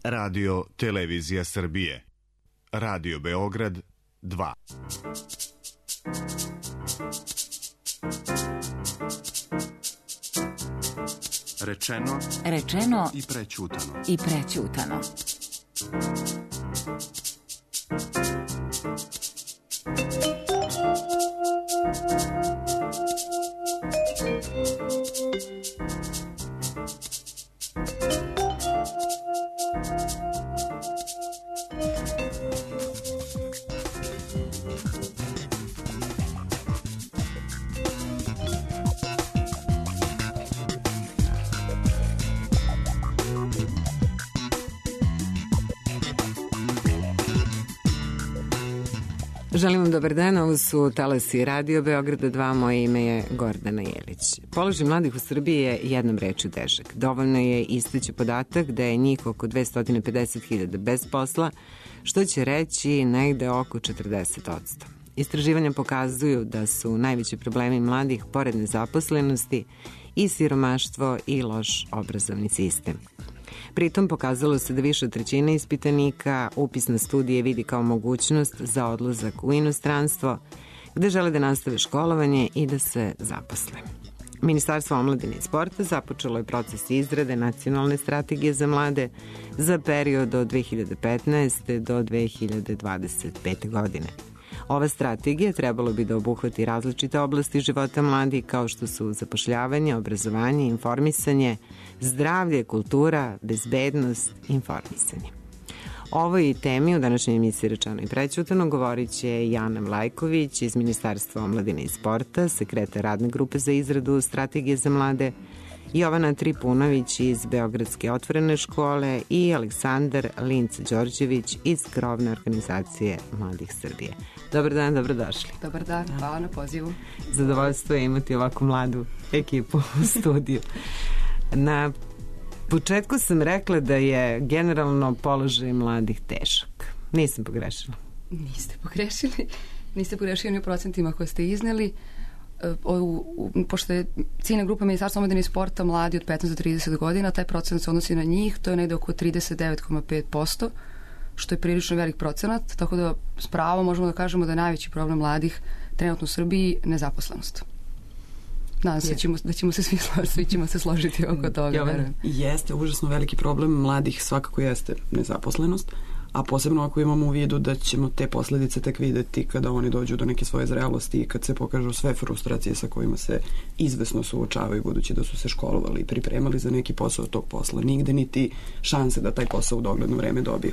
Radio Televizija Srbije. Radio Beograd 2. Rečeno i prećutano. Želim vam dobar dan, ovo su talasi Radio Beograda 2, moje ime je Gordana Jelić. Položaj mladih u Srbiji je jednom rečju težak. Dovoljno je istaći podatak da je njih oko 250.000 bez posla, što će reći negde oko 40%. Istraživanja pokazuju da su najveći problemi mladih, pored nezaposlenosti, i siromaštvo i loš obrazovni sistem. Pritom pokazalo se da više od trećine ispitanika upis na studije vidi kao mogućnost za odlazak u inostranstvo, gde žele da nastave školovanje i da se zaposle. Ministarstvo omladine i sporta započelo je proces izrade nacionalne strategije za mlade za period od 2015. do 2025. godine. Ova strategija trebalo bi da obuhvati različite oblasti života mladih kao što su zapošljavanje, obrazovanje, informisanje, zdravlje, kultura, bezbednost, informisanje. O ovoj temi u današnjoj emisiji Rečeno i prećutano govorit će Jana Vlajković iz Ministarstva omladine i sporta, sekretar radne grupe za izradu strategije za mlade, Jovana Tripunović iz Beogradske otvorene škole i Aleksandar Linc-Đorđević iz krovne organizacije Mladih Srbije. Dobar dan, dobrodošli. Dobar dan, hvala na pozivu. Zadovoljstvo je imati ovako mladu ekipu u studiju. Na početku sam rekla da je generalno položaj mladih težak. Nisam pogrešila. Niste pogrešili ni u procentima koje ste izneli. Pošto je ciljna grupa Ministarstva omladine i sporta mladi od 15 do 30 godina, taj procenat se odnosi na njih, to je negde oko 39,5%, što je prilično velik procenat, tako da s pravom možemo da kažemo da je najveći problem mladih trenutno u Srbiji nezaposlenost. Nadam se da ćemo se svi ćemo se složiti oko toga. Jeste, užasno veliki problem mladih svakako jeste nezaposlenost, a posebno ako imamo u vidu da ćemo te posledice tek videti kada oni dođu do neke svoje zrelosti i kad se pokažu sve frustracije sa kojima se izvesno suočavaju, budući da su se školovali i pripremali za neki posao tog posla. Nigde niti šanse da taj posao u dogledno vreme dobiju.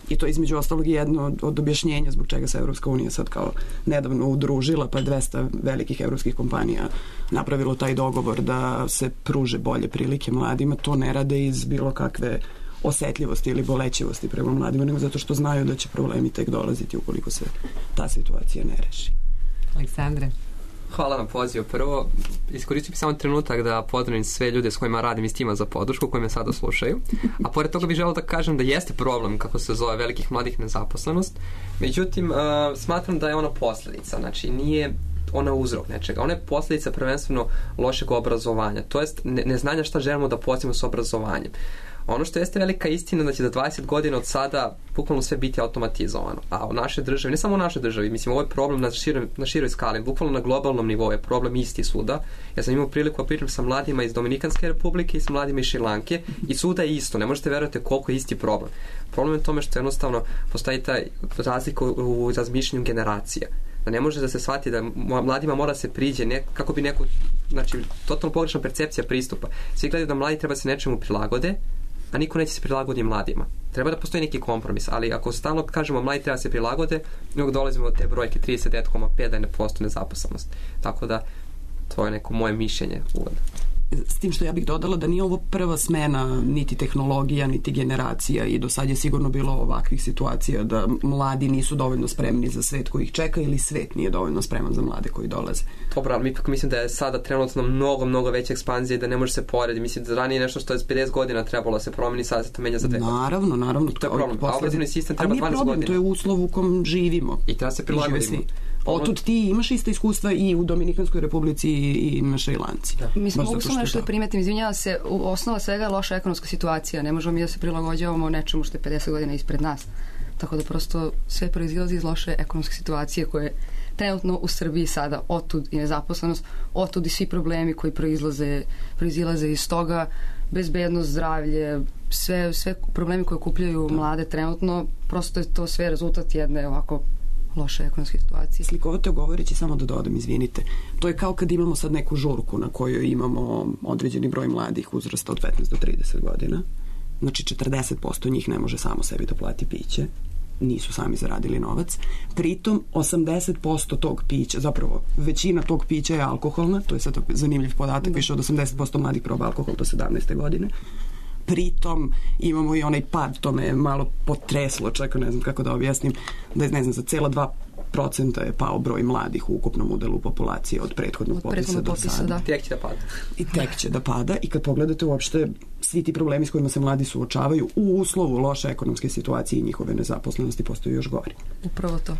I to između ostalog je jedno od objašnjenja zbog čega se Evropska unija sad kao nedavno udružila, pa je 200 velikih evropskih kompanija napravilo taj dogovor da se pruže bolje prilike mladima. To ne rade iz bilo kakve osetljivosti ili bolećivosti prema mladima, nego zato što znaju da će problemi tek dolaziti ukoliko se ta situacija ne reši. Aleksandre. Hvala na pozivu. Prvo, iskoristim samo trenutak da pozdravim sve ljude s kojima radim iz tima za podršku, koji me sada slušaju. A pored toga bih želeo da kažem da jeste problem, kako se zove, velikih mladih nezaposlenost. Međutim, smatram da je ona posledica. Znači, nije ona uzrok nečega. Ona je posledica prvenstveno lošeg obrazovanja. To jest neznanja šta želimo da postignemo s obrazovanjem. Ono što jeste velika istina da će za 20 godina od sada bukvalno sve biti automatizovano. A u našoj državi, ne samo u našoj državi, mislim, ovo je problem na široj skali, bukvalno na globalnom nivou je problem isti svuda. Ja sam imao priliku da pričam sa mladima iz Dominikanske republike i sa mladima iz Šrilanke i svuda je isto. Ne možete verovati koliko je isti problem. Problem je u tome što jednostavno postoji taj razlika u razmišljanju generacija. Da ne može da se shvati da mladima mora se priđe kako bi neko, znači, totalno pogrešna percepcija pristupa. Svi gledaju da mladi treba se nečemu prilagode, a niko neće se prilagoditi mladima. Treba da postoji neki kompromis, ali ako stalno kažemo mladi treba se prilagode, nego dolazimo do te brojke 39,5 da je postoji nezaposlenost. Tako da, to je neko moje mišljenje uvodno. S tim što ja bih dodala da nije ovo prva smena niti tehnologija, niti generacija i do sad je sigurno bilo ovakvih situacija da mladi nisu dovoljno spremni za svet koji ih čeka ili svet nije dovoljno spreman za mlade koji dolaze. Dobro, ali mislim da je sada trenutno mnogo veća ekspanzija i da ne može se porediti. Mislim da ranije nešto što je 50 godina trebalo da se promeni, sada se to menja za 2 godine. Naravno. To je problem. A obrazovni sistem treba 12 godina. To je uslov u kom živimo. I treba se prilagoditi. Otud ti imaš iste iskustva i u Dominikanskoj republici i na Šrilanci. Mislim, mogu samo nešto da primetim, izvinjava se, osnova svega je loša ekonomska situacija. Ne možemo mi da se prilagođavamo nečemu što je 50 godina ispred nas. Tako da prosto sve proizilazi iz loše ekonomske situacije koje je trenutno u Srbiji sada, otud i nezaposlenost, otud i svi problemi koji proizilaze iz toga, bezbednost, zdravlje, sve problemi koje okupljaju mlade trenutno, prosto je to sve rezultat jedne ovako loše ekonomske situacije. Slikovito govoreći, samo da dodam, izvinite, to je kao kad imamo sad neku žurku na kojoj imamo određeni broj mladih uzrasta od 15 do 30 godina. Znači 40% njih ne može samo sebi da plati piće, nisu sami zaradili novac. Pritom 80% tog pića, zapravo većina tog pića je alkoholna, to je sad zanimljiv podatak, više od 80% mladih proba alkohol do 17. godine. Pritom imamo i onaj pad, to me malo potreslo, čekaj, ne znam kako da objasnim, da je, ne znam, za cela 2% je pao broj mladih u ukupnom udelu populacije od prethodnog popisa do sada. Da. Tek će da pada. I tek će da pada i kad pogledate uopšte svi ti problemi s kojima se mladi suočavaju u uslovu loše ekonomske situacije i njihove nezaposlenosti postaju još gori. Upravo to.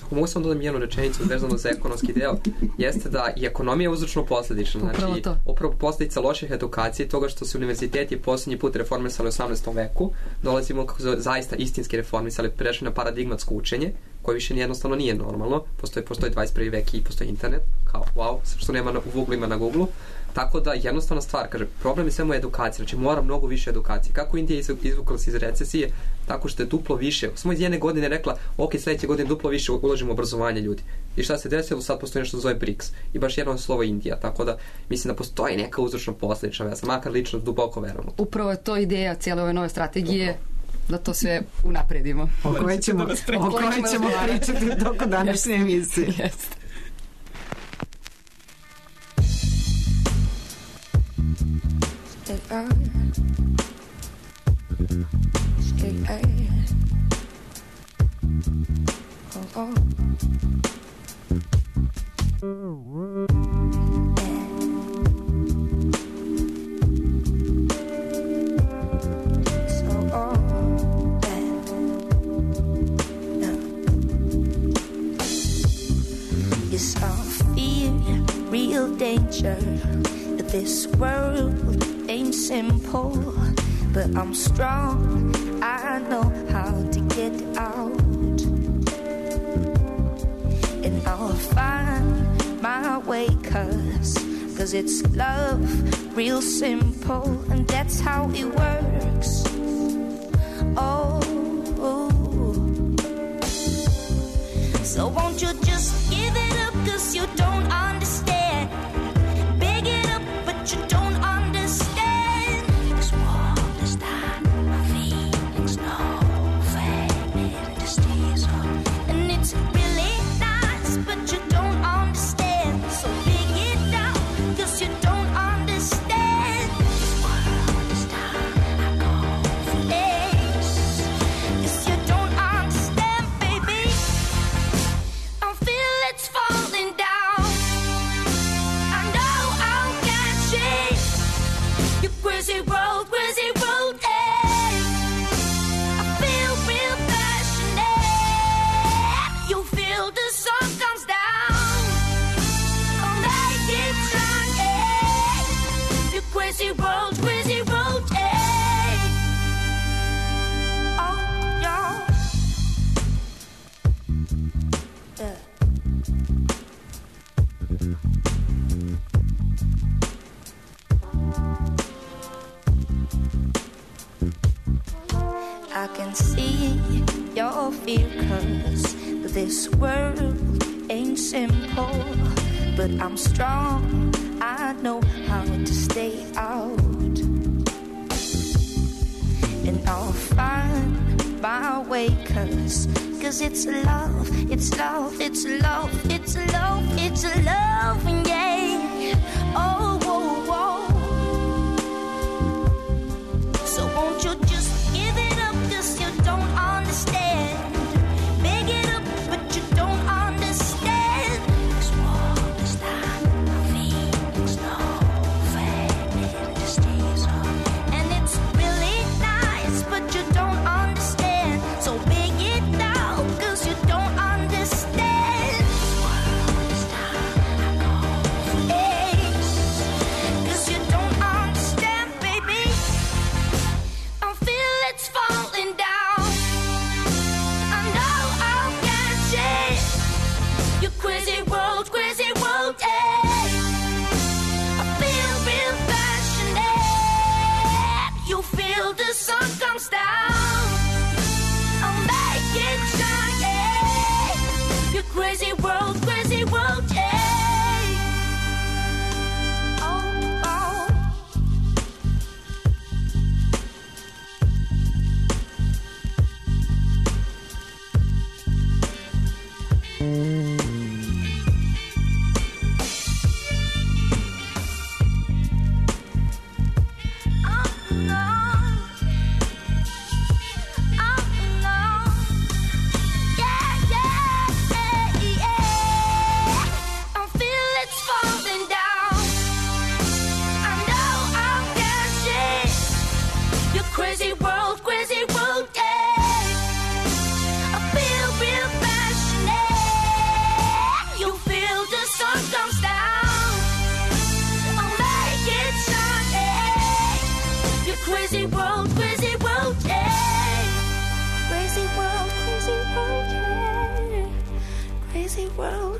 Ako mogu sam dodam jednu rečenicu vezano za ekonomski deo, jeste da i ekonomija je uzročno posledična. Znači, upravo posledica loših edukacije, toga što se univerziteti poslednji put reformisali u 18. veku, dolazimo kako se zaista istinski reformisali, prešli na paradigmatsko učenje, koje više jednostavno nije normalno, postoji 21. vek i postoji internet, kao wow, što nema u Google ima na Google. Tako da jednostavna stvar, kaže, problem je samo edukacija, znači mora mnogo više edukacije. Kako Indija izvukla se iz recesije? Tako što je duplo više. Samo iz jedne godine rekla, ok, sledeće godine duplo više uložimo u obrazovanje ljudi. I šta se desilo? Sad postoji nešto zove BRICS. I baš jedno slovo Indija. Tako da mislim da postoji neka uzročno posledična veza. Makar lično duboko verujem. Upravo je to ideja cijele ove nove strategije, da to sve unapredimo. O kojoj ćemo pričati u toku današnje emisije. Jeste. Yes, I fear real danger. This world ain't simple, but I'm strong. I know how to get out, and I'll find my way, cause it's love, real simple, and that's how it works. Oh, so won't you just give it up, cause you don't understand. Big it up, but you don't understand. This world is not my feelings, no fake industries. And it's really nice, but you don't understand. So big it down, cause you don't understand. This world is not a confidence, cause you don't understand, baby. I feel it's falling down. I know I can't change your crazy road, eh. I feel real passionate. You feel the sun comes down. I'll make it shine, your crazy road, eh. Oh, yeah. I can see your fear, cause this world ain't simple, but I'm strong. I know how to stay out, and I'll find my way, cause it's love, it's love, it's love, it's love, it's love, yeah. Oh, oh, oh. So won't you just give it up, cause you don't understand. Big it up, but you don't understand. This world is not my feelings, no fake industries. And it's really nice, but you don't understand. So big it down, cause you don't understand. This feel the sun comes down. I'll make it shine, yeah. Your crazy world, yeah. Crazy world, yeah. Crazy world, yeah.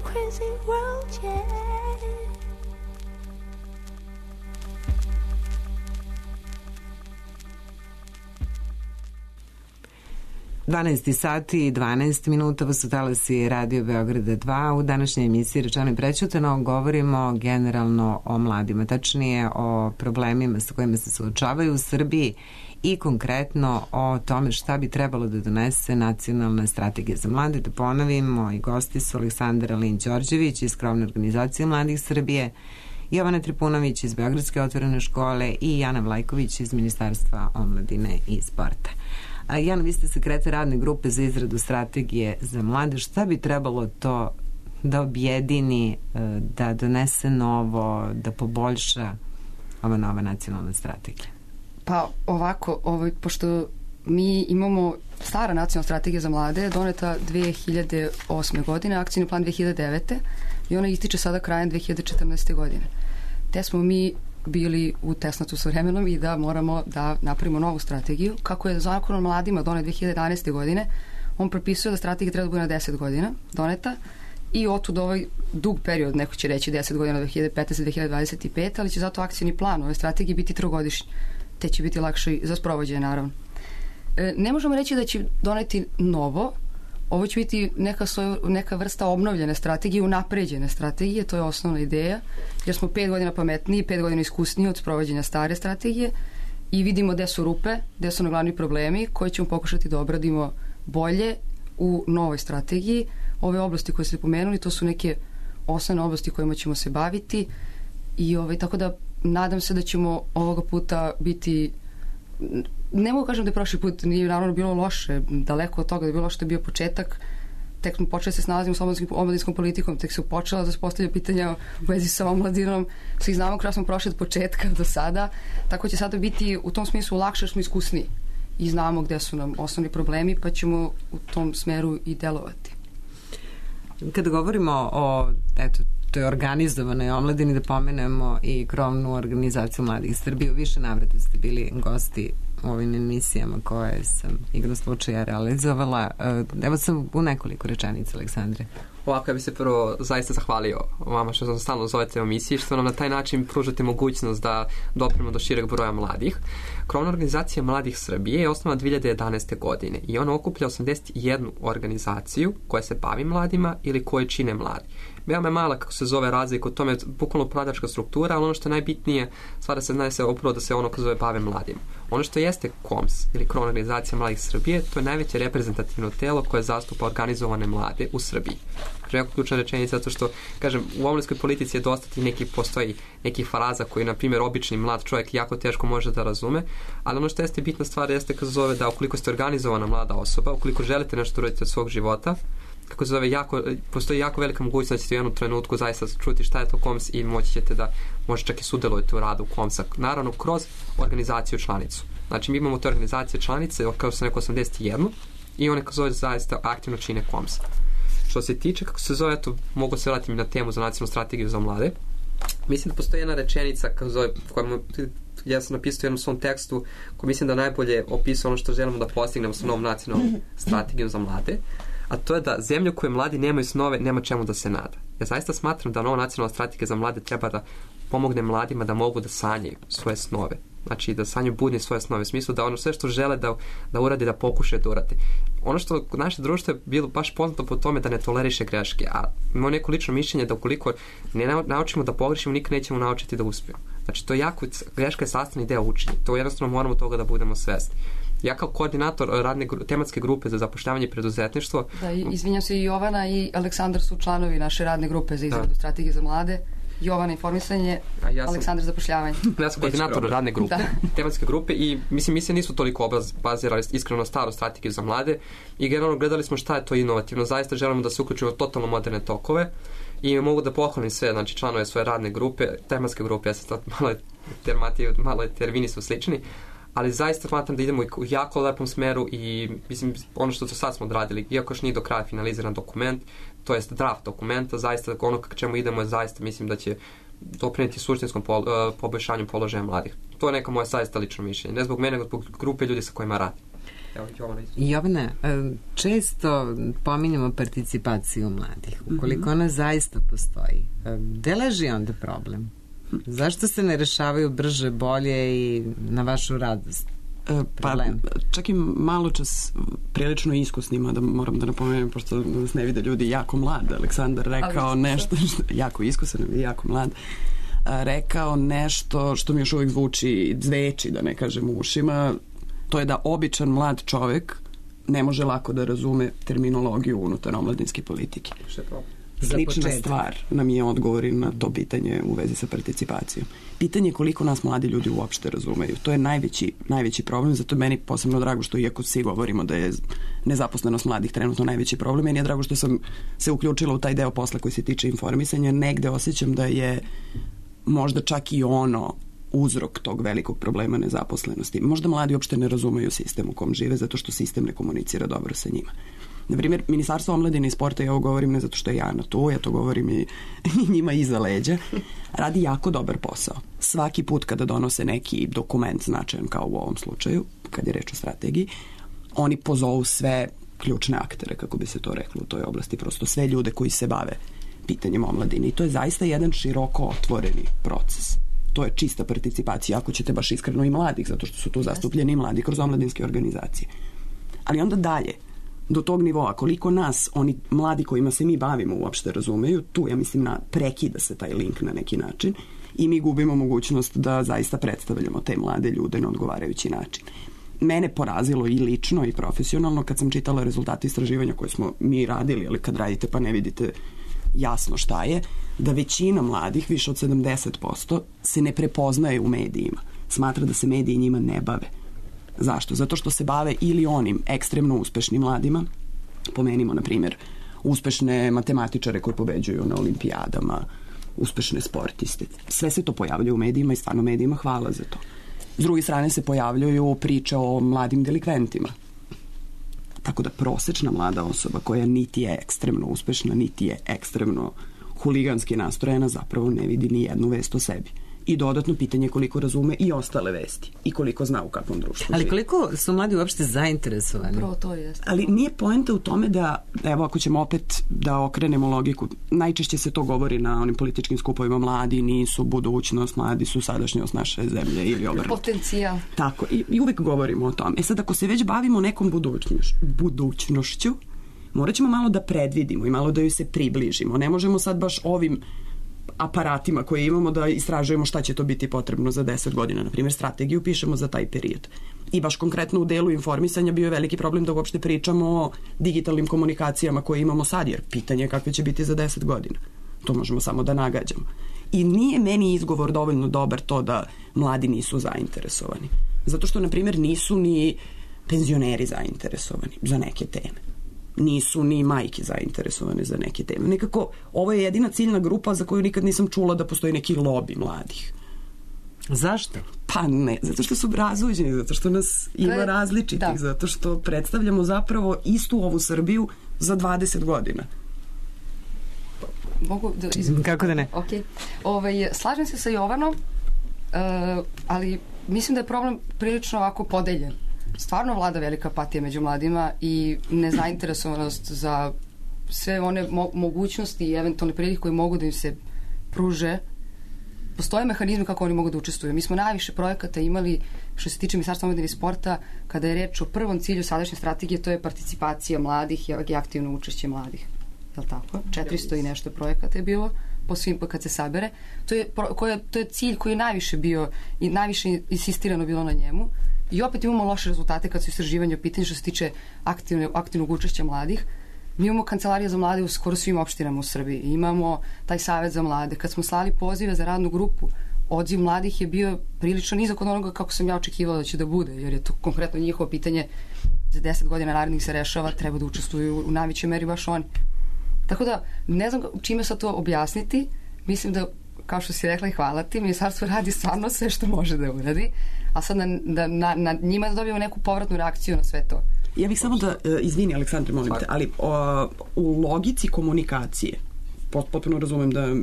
Crazy world, yeah. 12 sati i 12 minuta, vas su talasi Radio Beograda 2. U današnjoj emisiji Rečeno i prećutano govorimo generalno o mladima, tačnije o problemima sa kojima se suočavaju u Srbiji i konkretno o tome šta bi trebalo da donese nacionalna strategija za mlade. Da ponovimo, i gosti su Aleksandar Alin-Đorđević iz krovne organizacije Mladih Srbije, Jovana Tripunović iz Beogradske otvorene škole i Jana Vlajković iz Ministarstva omladine i sporta. Jana, vi ste sekretar radne grupe za izradu strategije za mlade. Šta bi trebalo to da objedini, da donese novo, da poboljša ova nova nacionalna strategija? Pa ovako, pošto mi imamo stara nacionalna strategija za mlade, doneta 2008. godine, akcijni plan 2009. i ona ističe sada krajem 2014. godine. Te smo mi bili u tesnatu sa vremenom i da moramo da napravimo novu strategiju. Kako je Zakon o mladima donet 2011. godine, on propisuje da strategija treba da bude na 10 godina doneta i otud ovaj dug period, neko će reći 10 godina 2015-2025, ali će zato akcijni plan ove strategije biti trogodišnji, te će biti lakše za sprovođenje, naravno. Ne možemo reći da će doneti novo, ovo će biti neka vrsta obnovljene strategije, unapređene strategije, to je osnovna ideja, jer smo 5 godina pametniji, 5 godina iskusniji od sprovođenja stare strategije i vidimo gde su rupe, gde su glavni problemi koje ćemo pokušati da obradimo bolje u novoj strategiji. Ove oblasti koje ste pomenuli, to su neke osnovne oblasti kojima ćemo se baviti i tako da nadam se da ćemo ovoga puta biti, ne mogu kažem da je prošli put nije naravno bilo loše, daleko od toga da je bilo loše, to je bio početak, tek smo počeli se snalazimo s omladinskom politikom, tek su počela da se postavlja pitanja u vezi sa omladinom, svi znamo kako smo prošli od početka do sada, tako će sada biti u tom smislu lakše jer smo iskusniji i znamo gde su nam osnovni problemi, pa ćemo u tom smeru i delovati. Kada govorimo o toj organizovanoj omladini, da pomenemo i krovnu organizaciju Mladih Srbije, u više navrata ste bili gosti u ovim emisijama koje sam igrom slučaja realizovala. Evo sam u nekoliko rečenica, Aleksandre. Ovako, ja bih se prvo zaista zahvalio vama što sam stalno zovete u emisiji, što nam na taj način pružate mogućnost da dopremo do šireg broja mladih. Krovna organizacija Mladih Srbije je osnovana 2011. godine i ona okuplja 81 organizaciju koja se bavi mladima ili koje čine mladi. Veoma je mala, kako se zove, razlika u tome, bukvalno upravljačka struktura, ali ono što je najbitnije, stvar se zna se upravo da se ono kako zove bave mladima. Ono što jeste KOMS ili Krovna organizacija Mladih Srbije, to je najveće reprezentativno telo koje zastupa organizovane mlade u Srbiji. Jako ključna rečenica, zato što, kažem, u omladinskoj politici je dosta postoji nekih fraza koji, na primjer, obični mlad čovjek jako teško može da razume, ali ono što jeste bitna stvar jeste kako se zove da ukoliko ste organizovana mlada osoba, ukoliko želite nešto uraditi od svog života, kako se zove, postoji jako velika mogućnost da ćete u jednom trenutku zaista čuti šta je to KOMS i moći ćete da možda čak i sudjelujete u radu KOMS-a, naravno kroz organizaciju članicu. Znači mi imamo te organizacije članice, kao sam rekao 81 i one kako se zove zaista aktivno čine KOMS. Što se tiče, kako se zove, to mogu se vratiti na temu za nacionalnu strategiju za mlade. Mislim da postoji jedna rečenica kako zove, ja sam napisao u jednom svom tekstu koji mislim da najbolje opisuje ono što želimo da postignemo sa novom nacionalnom strategijom za mlade, a to je da zemlju koje mladi nemaju snove, nema čemu da se nada. Ja zaista smatram da nova nacionalna strategija za mlade treba da pomogne mladima da mogu da sanjaju svoje snove, Znači da sanjaju budni svoje snove, u smislu da ono sve što žele da uradi, da pokušaju da uradi. Ono što naše društvo je bilo baš poznato po tome da ne toleriše greške, a imamo neko lično mišljenje da ukoliko ne naučimo da pogrešimo, nikad nećemo naučiti da uspijemo. Znači to je jako, greška je sastavni deo učenja, to jednostavno moramo toga da budemo svesni. Ja kao koordinator tematske grupe za zapošljavanje i preduzetništvo... Da, izvinjam se, i Jovana i Aleksandar su članovi naše radne grupe za izradu strategije za mlade. Jovana informisanje, Aleksandar zapošljavanje. Ja sam koordinator radne grupe, tematske grupe i mislim nisu toliko bazirali iskreno staru strategiju za mlade i generalno gledali smo šta je to inovativno. Zaista želimo da se uključimo u totalno moderne tokove i mogu da pohvalim sve, znači članove svoje radne grupe, tematske grupe, ja sam sad malo termini su slični, ali zaista smatram da idemo u jako lepom smeru i mislim ono što sad smo odradili, iako još nije do kraja finaliziran dokument, to jest draft dokumenta, zaista ono k čemu idemo je zaista mislim da će doprinijeti suštinskom poboljšanju položaja mladih. To je neka moja zaista lično mišljenje, ne zbog mene, nego zbog grupe ljudi sa kojima radim. Jovana, često pominjamo participaciju mladih. Ukoliko ona zaista postoji, gde leži onda problem? Zašto se ne rešavaju brže, bolje i na vašu radost? Problem. Pa, čak i malo čas prilično iskusnima, da moram da napomenem, pošto nas ne vide ljudi, jako mlad. Aleksandar rekao nešto, jako iskusan i jako mlad, rekao nešto što mi još uvijek zveči, da ne kažem u ušima, to je da običan mlad čovek ne može lako da razume terminologiju unutar omladinske politike. Slična stvar nam je odgovor na to pitanje u vezi sa participacijom. Pitanje je koliko nas mladi ljudi uopšte razumeju. To je najveći problem, zato je meni posebno drago što iako svi govorimo da je nezaposlenost mladih trenutno najveći problem, meni je drago što sam se uključila u taj deo posla koji se tiče informisanja. Negde osjećam da je možda čak i ono uzrok tog velikog problema nezaposlenosti. Možda mladi uopšte ne razumeju sistem u kom žive zato što sistem ne komunicira dobro sa njima. Na primjer, Ministarstvo omladine i sporta, ja ovo govorim ne zato što je Jana tu, ja to govorim i njima iza leđa, radi jako dobar posao. Svaki put kada donose neki dokument značajan kao u ovom slučaju, kad je reč o strategiji, oni pozovu sve ključne aktere, kako bi se to reklo u toj oblasti, prosto sve ljude koji se bave pitanjem omladine. I to je zaista jedan široko otvoreni proces. To je čista participacija, ako ćete baš iskreno i mladih, zato što su tu zastupljeni i mladi kroz omladinske organizacije. Ali onda dalje, do tog nivoa, koliko nas, oni mladi kojima se mi bavimo uopšte razumeju, tu ja mislim prekida se taj link na neki način i mi gubimo mogućnost da zaista predstavljamo te mlade ljude na odgovarajući način. Mene porazilo i lično i profesionalno kad sam čitala rezultate istraživanja koje smo mi radili, ali kad radite pa ne vidite jasno šta je, da većina mladih, više od 70%, se ne prepoznaje u medijima. Smatra da se mediji njima ne bave. Zašto? Zato što se bave ili onim ekstremno uspešnim mladima, pomenimo, na primjer, uspešne matematičare koji pobeđuju na olimpijadama, uspešne sportiste. Sve se to pojavljuje u medijima i stvarno medijima hvala za to. S druge strane se pojavljuju priče o mladim delikventima. Tako da prosečna mlada osoba koja niti je ekstremno uspešna, niti je ekstremno huliganski nastrojena, zapravo ne vidi ni jednu vest o sebi. I dodatno pitanje koliko razume i ostale vesti i koliko zna u kakvom društvu živi. Ali koliko su mladi uopšte zainteresovani? Prvo to jest. Ali nije poenta u tome da, evo ako ćemo opet da okrenemo logiku, najčešće se to govori na onim političkim skupovima, mladi nisu budućnost, mladi su sadašnjost naše zemlje ili obrnuto. Potencijal. Tako, i uvijek govorimo o tome. Sad ako se već bavimo nekom budućnošću, morat ćemo malo da predvidimo i malo da joj se približimo. Ne možemo sad baš ovim aparatima koje imamo da istražujemo šta će to biti potrebno za 10 godina. Na primjer, strategiju pišemo za taj period. I baš konkretno u delu informisanja bio je veliki problem da uopšte pričamo o digitalnim komunikacijama koje imamo sad, jer pitanje je kakve će biti za 10 godina. To možemo samo da nagađamo. I nije meni izgovor dovoljno dobar to da mladi nisu zainteresovani. Zato što, na primjer, nisu ni penzioneri zainteresovani za neke teme. Nisu ni majke zainteresovane za neke teme. Nekako, ovo je jedina ciljna grupa za koju nikad nisam čula da postoji neki lobi mladih. Zašto? Pa ne, zato što su razuđeni, zato što nas ima različitih, zato što predstavljamo zapravo istu ovu Srbiju za 20 godina. Mogu da... Kako da ne? Okay. Slažem se sa Jovanom, ali mislim da je problem prilično ovako podeljen. Stvarno vlada velika apatija među mladima i nezainteresovanost za sve one mogućnosti i eventualne prilike koje mogu da im se pruže postoje mehanizmi kako oni mogu da učestvuju. Mi smo najviše projekata imali što se tiče Ministarstva omladine i sporta kada je reč o prvom cilju sadašnje strategije, to je participacija mladih i aktivno učešće mladih. Je li tako? 400 i nešto projekata je bilo po svim, kad se sabere. To je cilj koji je najviše bio i najviše insistirano bilo na njemu. I opet imamo loše rezultate kad su istraživanje u pitanju što se tiče aktivnog učešća mladih. Mi imamo kancelarije za mlade u skoro svim opštinama u Srbiji. Imamo taj savet za mlade. Kad smo slali pozive za radnu grupu, odziv mladih je bio prilično nizak od onoga kako sam ja očekivala da će da bude, jer je to konkretno njihovo pitanje za 10 godina narednih se rešava, treba da učestvuju u najvećoj meri baš oni. Tako da, ne znam čime sad to objasniti. Mislim da, kao što si rekla i hvala ti, ministarstvo radi stvarno sve što može da uradi, a sad na njima da dobijemo neku povratnu reakciju na sve to. Ja bih samo da, izvini Aleksandre, molim te, ali u logici komunikacije, potpuno razumem da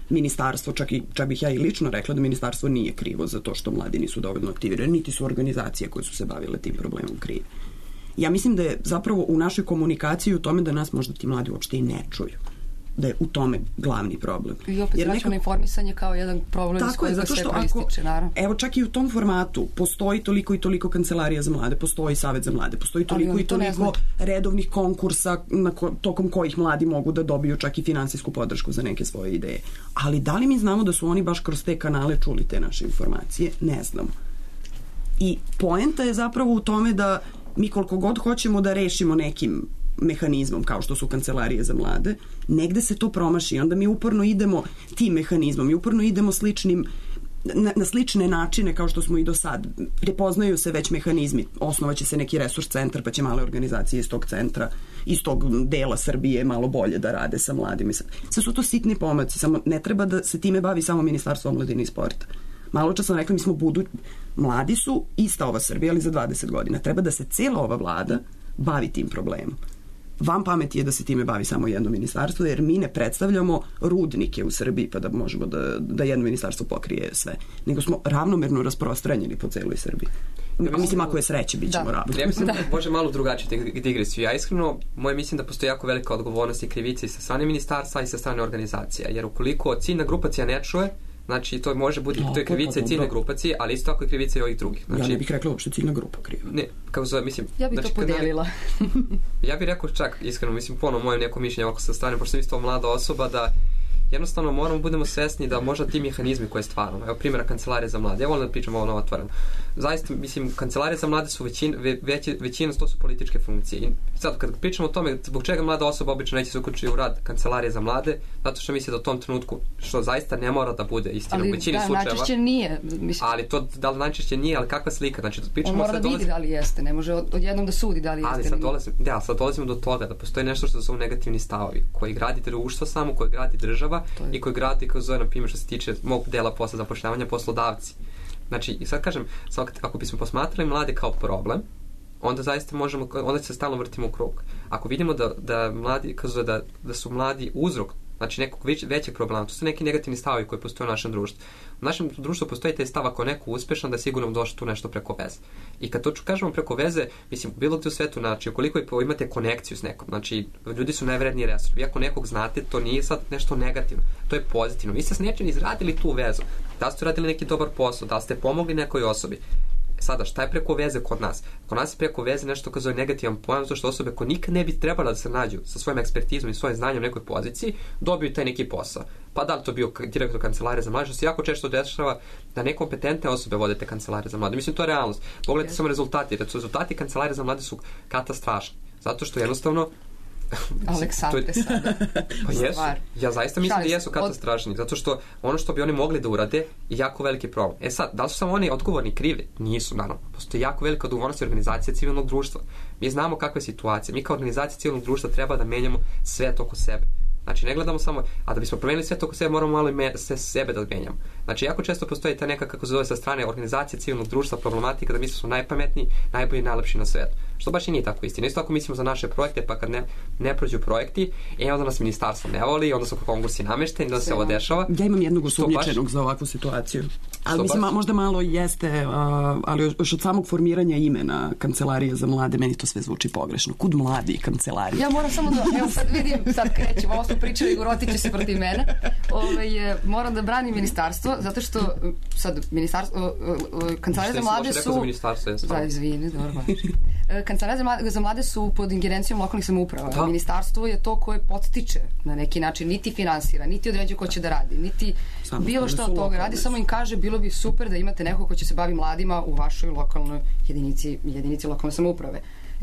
ministarstvo, čak bih ja i lično rekla da ministarstvo nije krivo za to što mladi nisu dovoljno aktivirani, niti su organizacije koje su se bavile tim problemom krive. Ja mislim da je zapravo u našoj komunikaciji u tome da nas možda ti mladi uopšte i ne čuju. Da je u tome glavni problem. I opet vraćamo informisanje kao jedan problem s kojeg se proističe, naravno. Evo čak i u tom formatu postoji toliko i toliko kancelarija za mlade, postoji savet za mlade, postoji toliko i toliko redovnih konkursa tokom kojih mladi mogu da dobiju čak i finansijsku podršku za neke svoje ideje. Ali da li mi znamo da su oni baš kroz te kanale čuli te naše informacije? Ne znamo. I poenta je zapravo u tome da mi koliko god hoćemo da rešimo nekim mehanizmom kao što su kancelarije za mlade, negde se to promaši i onda mi uporno idemo tim mehanizmom i uporno idemo na slične načine kao što smo i do sad. Prepoznaju se već mehanizmi, osnovaće se neki resurs centar pa će male organizacije iz tog centra, iz tog dela Srbije malo bolje da rade sa mladima. Sve su to sitni pomaci, samo ne treba da se time bavi samo Ministarstvo omladine i sporta. Malo čas sam rekla, mi smo mladi su ista ova Srbija, ali za 20 godina. Treba da se cijela ova vlada bavi tim problemom. Vam pameti je da se time bavi samo jedno ministarstvo, jer mi ne predstavljamo rudnike u Srbiji pa da možemo da jedno ministarstvo pokrije sve. Nego smo ravnomerno rasprostranjeni po celoj Srbiji. Mislim, ako je sreće, bit ćemo ravno. Ja mislim da može malo drugačiju digresiju. Ja iskreno, moje mislim da postoji jako velika odgovornost i krivica i sa strane ministarstva i sa strane organizacija. Jer ukoliko ciljna grupacija ne čuje, znači to može biti, to je krivica ciljne grupacije, ali isto tako je krivica i ovih drugih. Znači, ja ne bih rekla uopšte ciljna grupa kriva. Ne, kako zove, mislim... Ja bih to podijelila. Ja bih rekao čak, iskreno, mislim, ponovno moje neko mišljenje ovako sa strane, pošto sam isto mlada osoba, da jednostavno moramo budemo svesni da možda ti mehanizmi koje stvaramo, evo primjera kancelarije za mlade, ja volim da pričam ovo otvoreno. Zaista, mislim, kancelarije za mlade su većina to su političke funkcije. I sad, kad pričamo o tome, zbog čega mlada osoba obično neće se uključiti u rad kancelarije za mlade, zato što misle da u tom trenutku, što zaista ne mora da bude istina u većini slučajeva. Ali najčešće nije. Ali to, da li najčešće nije, ali kakva slika? Znači, on mora da vidi da li jeste, ne može odjednom da sudi da li jeste. Ali sad dolazimo do toga da postoji nešto što su negativni stavovi, koji gradi društvo samo, koji gradi država i koji gradi, kao zove, na primjer, što se tiče mog dela posla zapošljavanja, poslodavci. Znači, i sad kažem, ako bismo posmatrali mlade kao problem, onda zaista možemo, onda se stalno vrtimo u krug. Ako vidimo da mladi, da su mladi uzrok, znači nekog većeg problema, to su neki negativni stavovi koji postoje u našem društvu. U našem društvu postoji taj stav ako je neko uspešan, da sigurno došlo tu nešto preko veze. I kad to kažemo preko veze, mislim, bilo gde u svetu, znači, ukoliko imate konekciju s nekom, znači, ljudi su najvredniji resurs. Vi ako nekog znate, to nije sad nešto negativno, to je pozitivno. Vi ste s nečim izradili tu vezu, da ste radili neki dobar posao, da ste pomogli nekoj osobi. Sada, šta je preko veze kod nas? Kod nas je preko veze nešto kao zove negativan pojam, zato što osobe koje nikad ne bi trebala da se nađu sa svojim ekspertizom i svojim znanjem u nekoj poziciji, dobiju taj neki posao. Pa da li to bio direktor kancelarije za mlade, što se jako često dešava da nekompetentne osobe vode te kancelarije za mlade. Mislim, to je realnost. Pogledajte samo rezultati. Rezultati kancelarije za mlade su katastrofični. Zato što jednostavno Aleksandre sada. Pa jesu. Ja zaista mislim da jesu katastrofični, zato što ono što bi oni mogli da urade je jako veliki problem. E sad, da li su samo oni odgovorni krivi? Nisu, naravno. Postoji jako velika odgovornost organizacije civilnog društva. Mi znamo kakva je situacija. Mi kao organizacija civilnog društva treba da menjamo svet oko sebe. Znači, ne gledamo samo, a da bismo promenili svet oko sebe, moramo malo i sebe da menjamo. Znači, jako često postoji ta neka, kako se zove sa strane organizacije civilnog društva, problematika da mi smo najpametniji, najbolji, najlepši na svetu. Što baš i nije tako istina. Isto tako mislimo za naše projekte, pa kad ne prođu projekti, onda nas ministarstvo ne voli, onda su konkursi namešteni, onda se ovo dešava. Ja imam jednog osumnjičenog za ovakvu situaciju. Ali mislim, možda malo jeste, ali još od samog formiranja imena Kancelarije za mlade, meni to sve zvuči pogrešno. Kud mladi kancelarije? Ja moram samo da, evo sad vidim, sad krećemo, ovo smo pričali, Gorotiće se protiv mene. Moram da branim ministarstvo, zato što sad ministarstvo, kancelarija za mlade su... Da, izvini, dobro. Kancelarija za mlade su pod ingerencijom lokalnih samouprava. Da. Ministarstvo je to koje podstiče na neki način, niti finansira, niti određuje ko će da radi, niti bilo šta od toga radi, samo im kaže bilo bi super da imate neko ko će se bavi mladima u vašoj lokalnoj jedinici lokalne samouprave.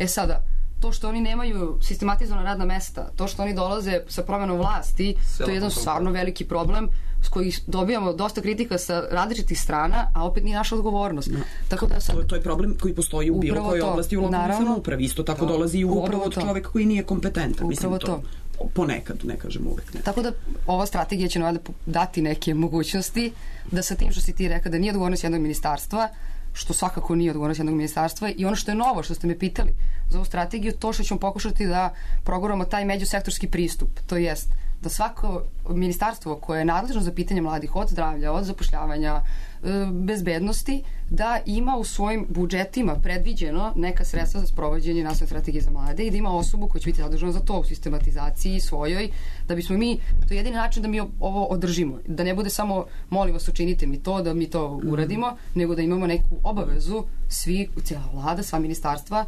Sada, to što oni nemaju sistematizovana radna mesta, to što oni dolaze sa promenom vlasti, to je jedan stvarno veliki problem s koji dobijamo dosta kritika sa različitih strana, a opet nije naša odgovornost. No. Tako da sad, to je problem koji postoji u bilo kojoj oblasti u lokalnoj samoupravi. Isto tako dolazi i upravo od čoveka koji nije kompetentan. Upravo to. Ponekad, ne kažem uvek. Ne. Tako da ova strategija će nam dati neke mogućnosti da sa tim što si ti rekao da nije odgovornost jednog ministarstva, što svakako nije odgovornost jednog ministarstva, i ono što je novo, što ste me pitali za ovu strategiju, to što ćemo pokušati da proguramo taj međusektorski pristup, to jest da svako ministarstvo koje je nadležno za pitanje mladih, od zdravlja, od zapošljavanja, bezbednosti, da ima u svojim budžetima predviđeno neka sredstva za sprovođenje nacionalne strategije za mlade i da ima osobu koja će biti zadužena za to u sistematizaciji svojoj, da bismo mi, to je jedini način da mi ovo održimo, da ne bude samo molim vas učinite mi to, da mi to uradimo, nego da imamo neku obavezu svi, cijela vlada, sva ministarstva,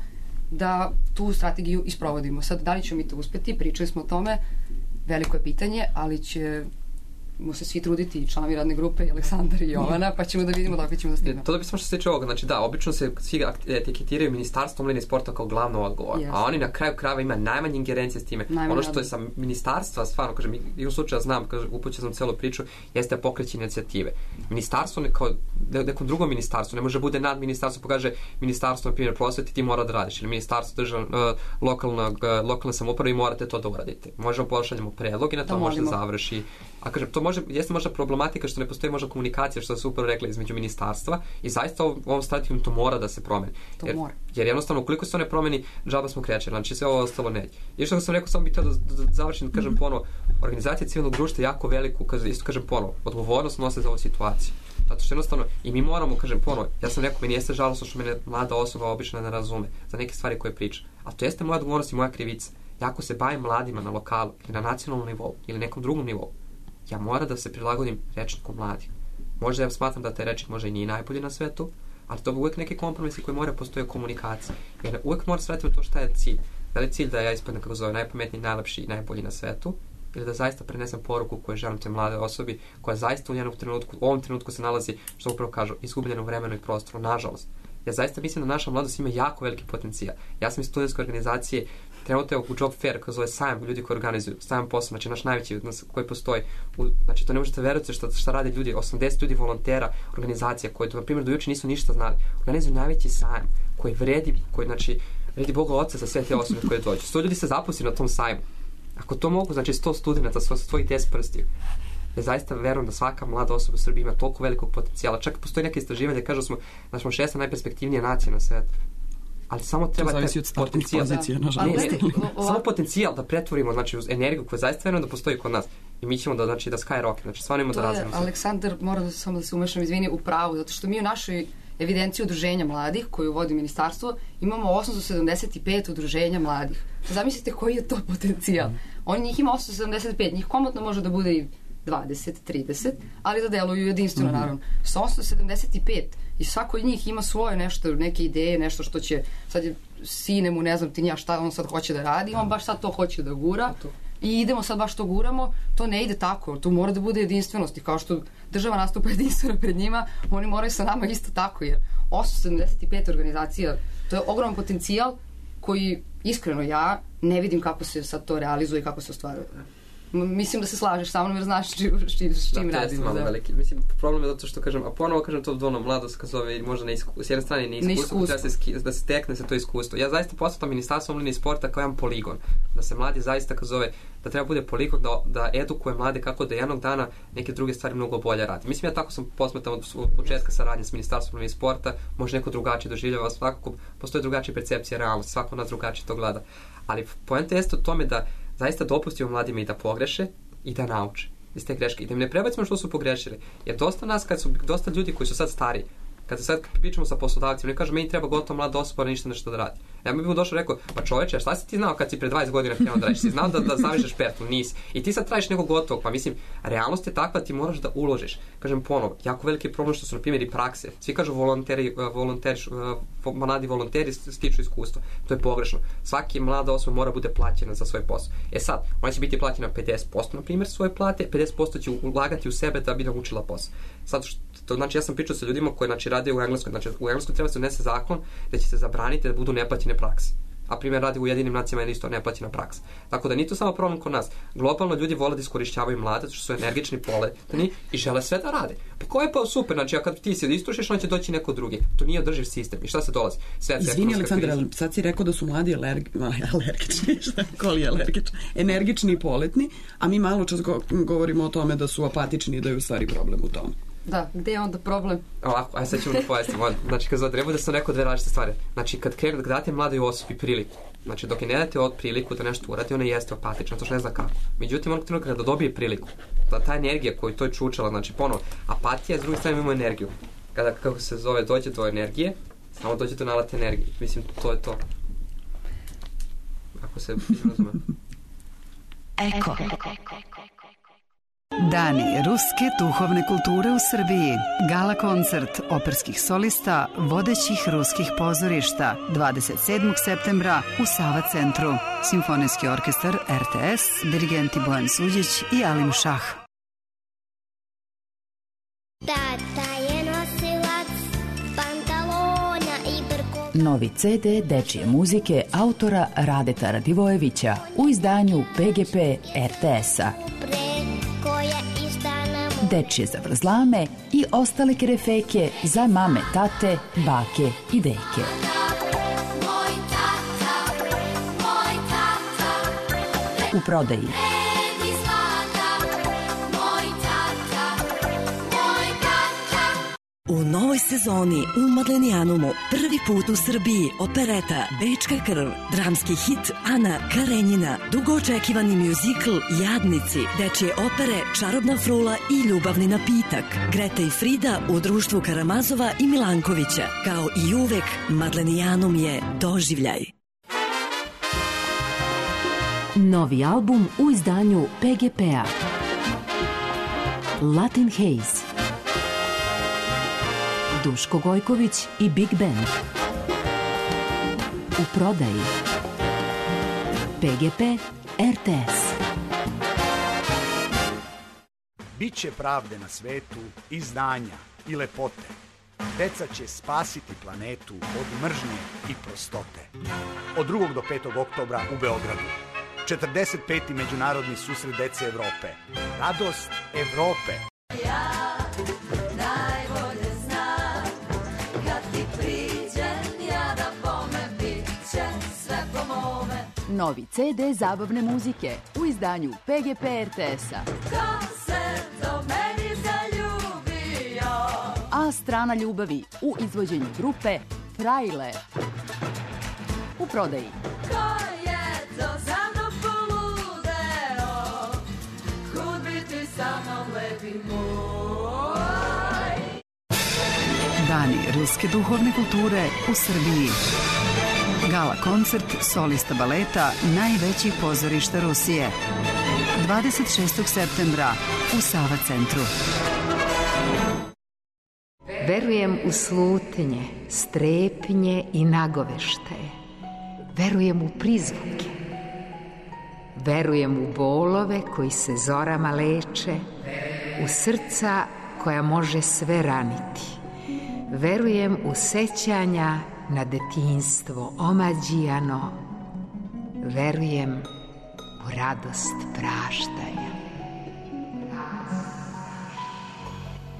da tu strategiju isprovodimo. Sad, da li ćemo mi to uspeti? Pričali smo o tome, veliko je pitanje, ali ćemo se svi truditi, i članovi radne grupe, i Aleksandar i Jovana, pa ćemo da vidimo dok ćemo da stignemo. To da bi samo što se tiče ovoga, znači da, obično se svi etiketiraju Ministarstvo omladine i sporta kao glavno odgovor, a oni na kraju krajeva ima najmanje ingerencije s time. Ono što je sa ministarstva, stvarno, kažem, i u slučaju znam, upućao sam celu priču, jeste pokreći inicijative. Ministarstvo kao nekom drugom ministarstvu, ne može bude nad ministarstvo, pokaže ministarstvo, na primjer, prosveti, ti mora da radiš, ili ministarstvo lokalne samouprave i morate to da uradite. Možemo pošaljemo predlog i na to može da završi. A kažem, to jeste možda problematika što ne postoji možda komunikacija, što se upravo rekla, između ministarstva, i zaista ovom strategijom to mora da se promeni. Jer jednostavno, ukoliko se to ne promeni, džaba smo krećeli, znači sve ovo ostalo neće. I što sam rekao, samo bih htio da završim, kažem ponovo, organizacija civilnog društva je jako veliku, isto kažem ponovo, odgovornost nose za ovu situaciju. Zato što jednostavno, i mi moramo, kažem ponovo, ja sam rekao, meni jeste žalostno što mene mlada osoba obično ne razume za neke stvari koje priča. A to jeste moja odgovornost i moja krivica. Ja ako se bavim mladima na lokalu ili na nacionalnom nivou ili nekom drugom nivou, ja moram da se prilagodim rečniku mladih. Možda ja smatram da taj rečnik možda i nije najbolji na svetu, ali to bi uvijek neki kompromisi koji moraju postoje komunikacija. Jer uvijek mora se vratiti to šta je cilj. Da li je cilj da ja ispadnem, kako zove, najpametniji, najlepši i najbolji na svetu, ili da zaista prenesem poruku koju želim te mlade osobi, koja zaista u ovom trenutku se nalazi, što upravo kažu, izgubljeno vremenu i prostoru, nažalost. Ja zaista mislim da naša mladost ima jako veliki potencijal. Ja sam iz studentske organizacije, trenutno je u Job Fair, koji zove sajam, ljudi koji organizuju, sajam posla, znači naš najveći koji postoji. Znači to ne možete verovati šta rade ljudi, 80 ljudi volontera, organizacija koji, na primjer, do juče nisu ništa znali. Organizuju najveći sajam koji vredi Boga Oca za sve te osobe koje dođu. 100 ljudi se zaposli na tom sajmu. Ako to mogu, znači 100 studenta sa svojih 10 prstiju. Ja zaista verujem da svaka mlada osoba u Srbiji ima toliko velikog potencijala. Čak postoji neke istraživanje, kažu smo da smo 6. najperspektivnija nacija na svijetu. Ali samo treba potencijal. Samo potencijal da pretvorimo, znači, uz energiju koja zaista verujem da postoji kod nas. I mi ćemo da skyrocket, znači stvarno imamo da razvijemo. Aleksandar, moram samo da se umešam, izvini, u pravu, zato što mi u našoj evidenciji udruženja mladih koju vodi ministarstvo imamo 875 udruženja mladih. Zamislite koji je to potencijal. Njih ima 875, njih komotno može da bude i 20, 30, ali da deluju jedinstveno, naravno. Sa 875 i svako od njih ima svoje nešto, neke ideje, nešto što će, sad je sine mu, ne znam ti nija šta on sad hoće da radi, on baš sad to hoće da gura i idemo sad baš to guramo, to ne ide tako, to mora da bude jedinstvenost i kao što država nastupa jedinstveno pred njima, oni moraju sa nama isto tako, jer 875 organizacija, to je ogroman potencijal koji, iskreno, ja ne vidim kako se sad to realizuje i kako se ostvaruje. Mislim da se slažeš sa mnom jer znaš s čim radimo. Mislim, problem je zato što kažem, a ponovo kažem to dvono mladost, kad zove možda s jedne strane neiskustvo, da se stekne se to iskustvo. Ja zaista posvetam Ministarstvo omladine i sporta kao jedan poligon, da se mladi zaista, kad zove, da treba bude poligon da edukuje mlade kako da jednog dana neke druge stvari mnogo bolje radi. Mislim, ja tako sam posmetam od početka saradnje s Ministarstvom omladine i sporta, može neko drugačije doživljava, svakako postoje drugačije percepcije realnosti, svako nas drugačije to gleda. Ali poenta jeste u tome da zaista dopustimo mladima i da pogreše i da nauče iz te greške i da im ne prebacimo što su pogrešili. Jer dosta nas, kad su dosta ljudi koji su sad stari, kad se sad pričamo sa poslodavcima, ne kažu meni treba gotovo mlada osoba ništa nešto da radi. Ja bih mu došao i rekao, pa čoveče, šta si ti znao kad si pre 20 godina krenuo da radiš? Si znao da zavežeš pertlu? Nisi. I ti sad tražiš nekog gotovog, pa mislim, realnost je takva, ti moraš da uložiš. Kažem ponovo, jako veliki problem što su na primjer i prakse. Svi kažu mladi volonteri stiču iskustvo. To je pogrešno. Svaki mlada osoba mora bude plaćena za svoj posao. Sad, ona će biti plaćena 50% na primjer svoje plate, 50% će ulagati u sebe da bi naučila posao. Sad, znači ja sam pričao sa ljudima koji rade u Engleskoj. Znači u Engleskoj treba se unese zakon da će se zabraniti da budu neplaćene prakse. A primjer radi u Ujedinim nacijama je isto neplaćena praksa. Tako da nije to samo problem kod nas. Globalno ljudi vole da iskorišćavaju mlade, zato što su energični, poletni i žele sve da rade. Pa ko je pa super, znači a kad ti se istrušiš, on će doći neko drugi. To nije održiv sistem. I šta se dolazi? Izvini Aleksandar, sad si rekao da su mladi energični i poletni, a mi malo čas govorimo o tome da su apatični i da je u stvari problem u tome. Da, gde je onda problem? Ovako, aj sad ćemo da pojasnimo. Znači, kad treba da sam rekao dve različite stvari. Znači, kad date mladoj osobi priliku, znači, dok je ne date od priliku da nešto uradi, ona jeste apatična, to što ne zna kako. Međutim, onog trenutka kada dobije priliku, da ta energija koju to je čučala, znači, ponovo, apatija, s druge strane imamo energiju. Kada, kako se zove, dođe do energije, samo dođe do nalate energije. Mislim, to je to. Ako se razume. Eko. Dani ruske duhovne kulture u Srbiji. Gala koncert operskih solista vodećih ruskih pozorišta 27. septembra u Sava centru. Simfonijski orkestar RTS, dirigenti Bojan Suđić i Alim Šah. Tata je nosilac pantalona i brko. Novi CD dečije muzike autora Radeta Radivojevića u izdanju PGP RTS-a. Dečije zavrzlame i ostale kerefeke za mame, tate, bake i deke. U prodaji. U novoj sezoni u Madlenijanumu prvi put u Srbiji opereta Bečka krv, dramski hit Ana Karenjina, dugo očekivani mjuzikl Jadnici, dečje opere Čarobna frula i Ljubavni napitak, Greta i Frida u društvu Karamazova i Milankovića. Kao i uvek, Madlenijanum je doživljaj. Novi album u izdanju PGP-a. Latin Haze. Duško Gojković i Big Band. U prodaji. PGP RTS. Biće pravde na svetu i znanja i lepote. Deca će spasiti planetu od mržnje i prostote. Od 2. do 5. oktobra u Beogradu. 45. međunarodni susret dece Evrope. Radost Evrope. Ja najbolje znam kad ti priđem ja da bome bit će sve po mome. Novi CD zabavne muzike u izdanju PGP RTS-a. Ko se do meni zaljubio? A strana ljubavi u izvođenju grupe Frajle. U prodaji. Ko je to za mnom poludeo? Kud bi ti sa mnom lepi moj? Dani ruske duhovne kulture u Srbiji. Gala koncert solista baleta najvećih pozorišta Rusije. 26. septembra u Sava centru. Verujem u slutnje, strepnje i nagoveštaje. Verujem u prizvuke. Verujem u bolove koji se zorama leče, u srca koja može sve raniti. Verujem u sećanja na detinjstvo omađijano. Verujem u radost praštaja.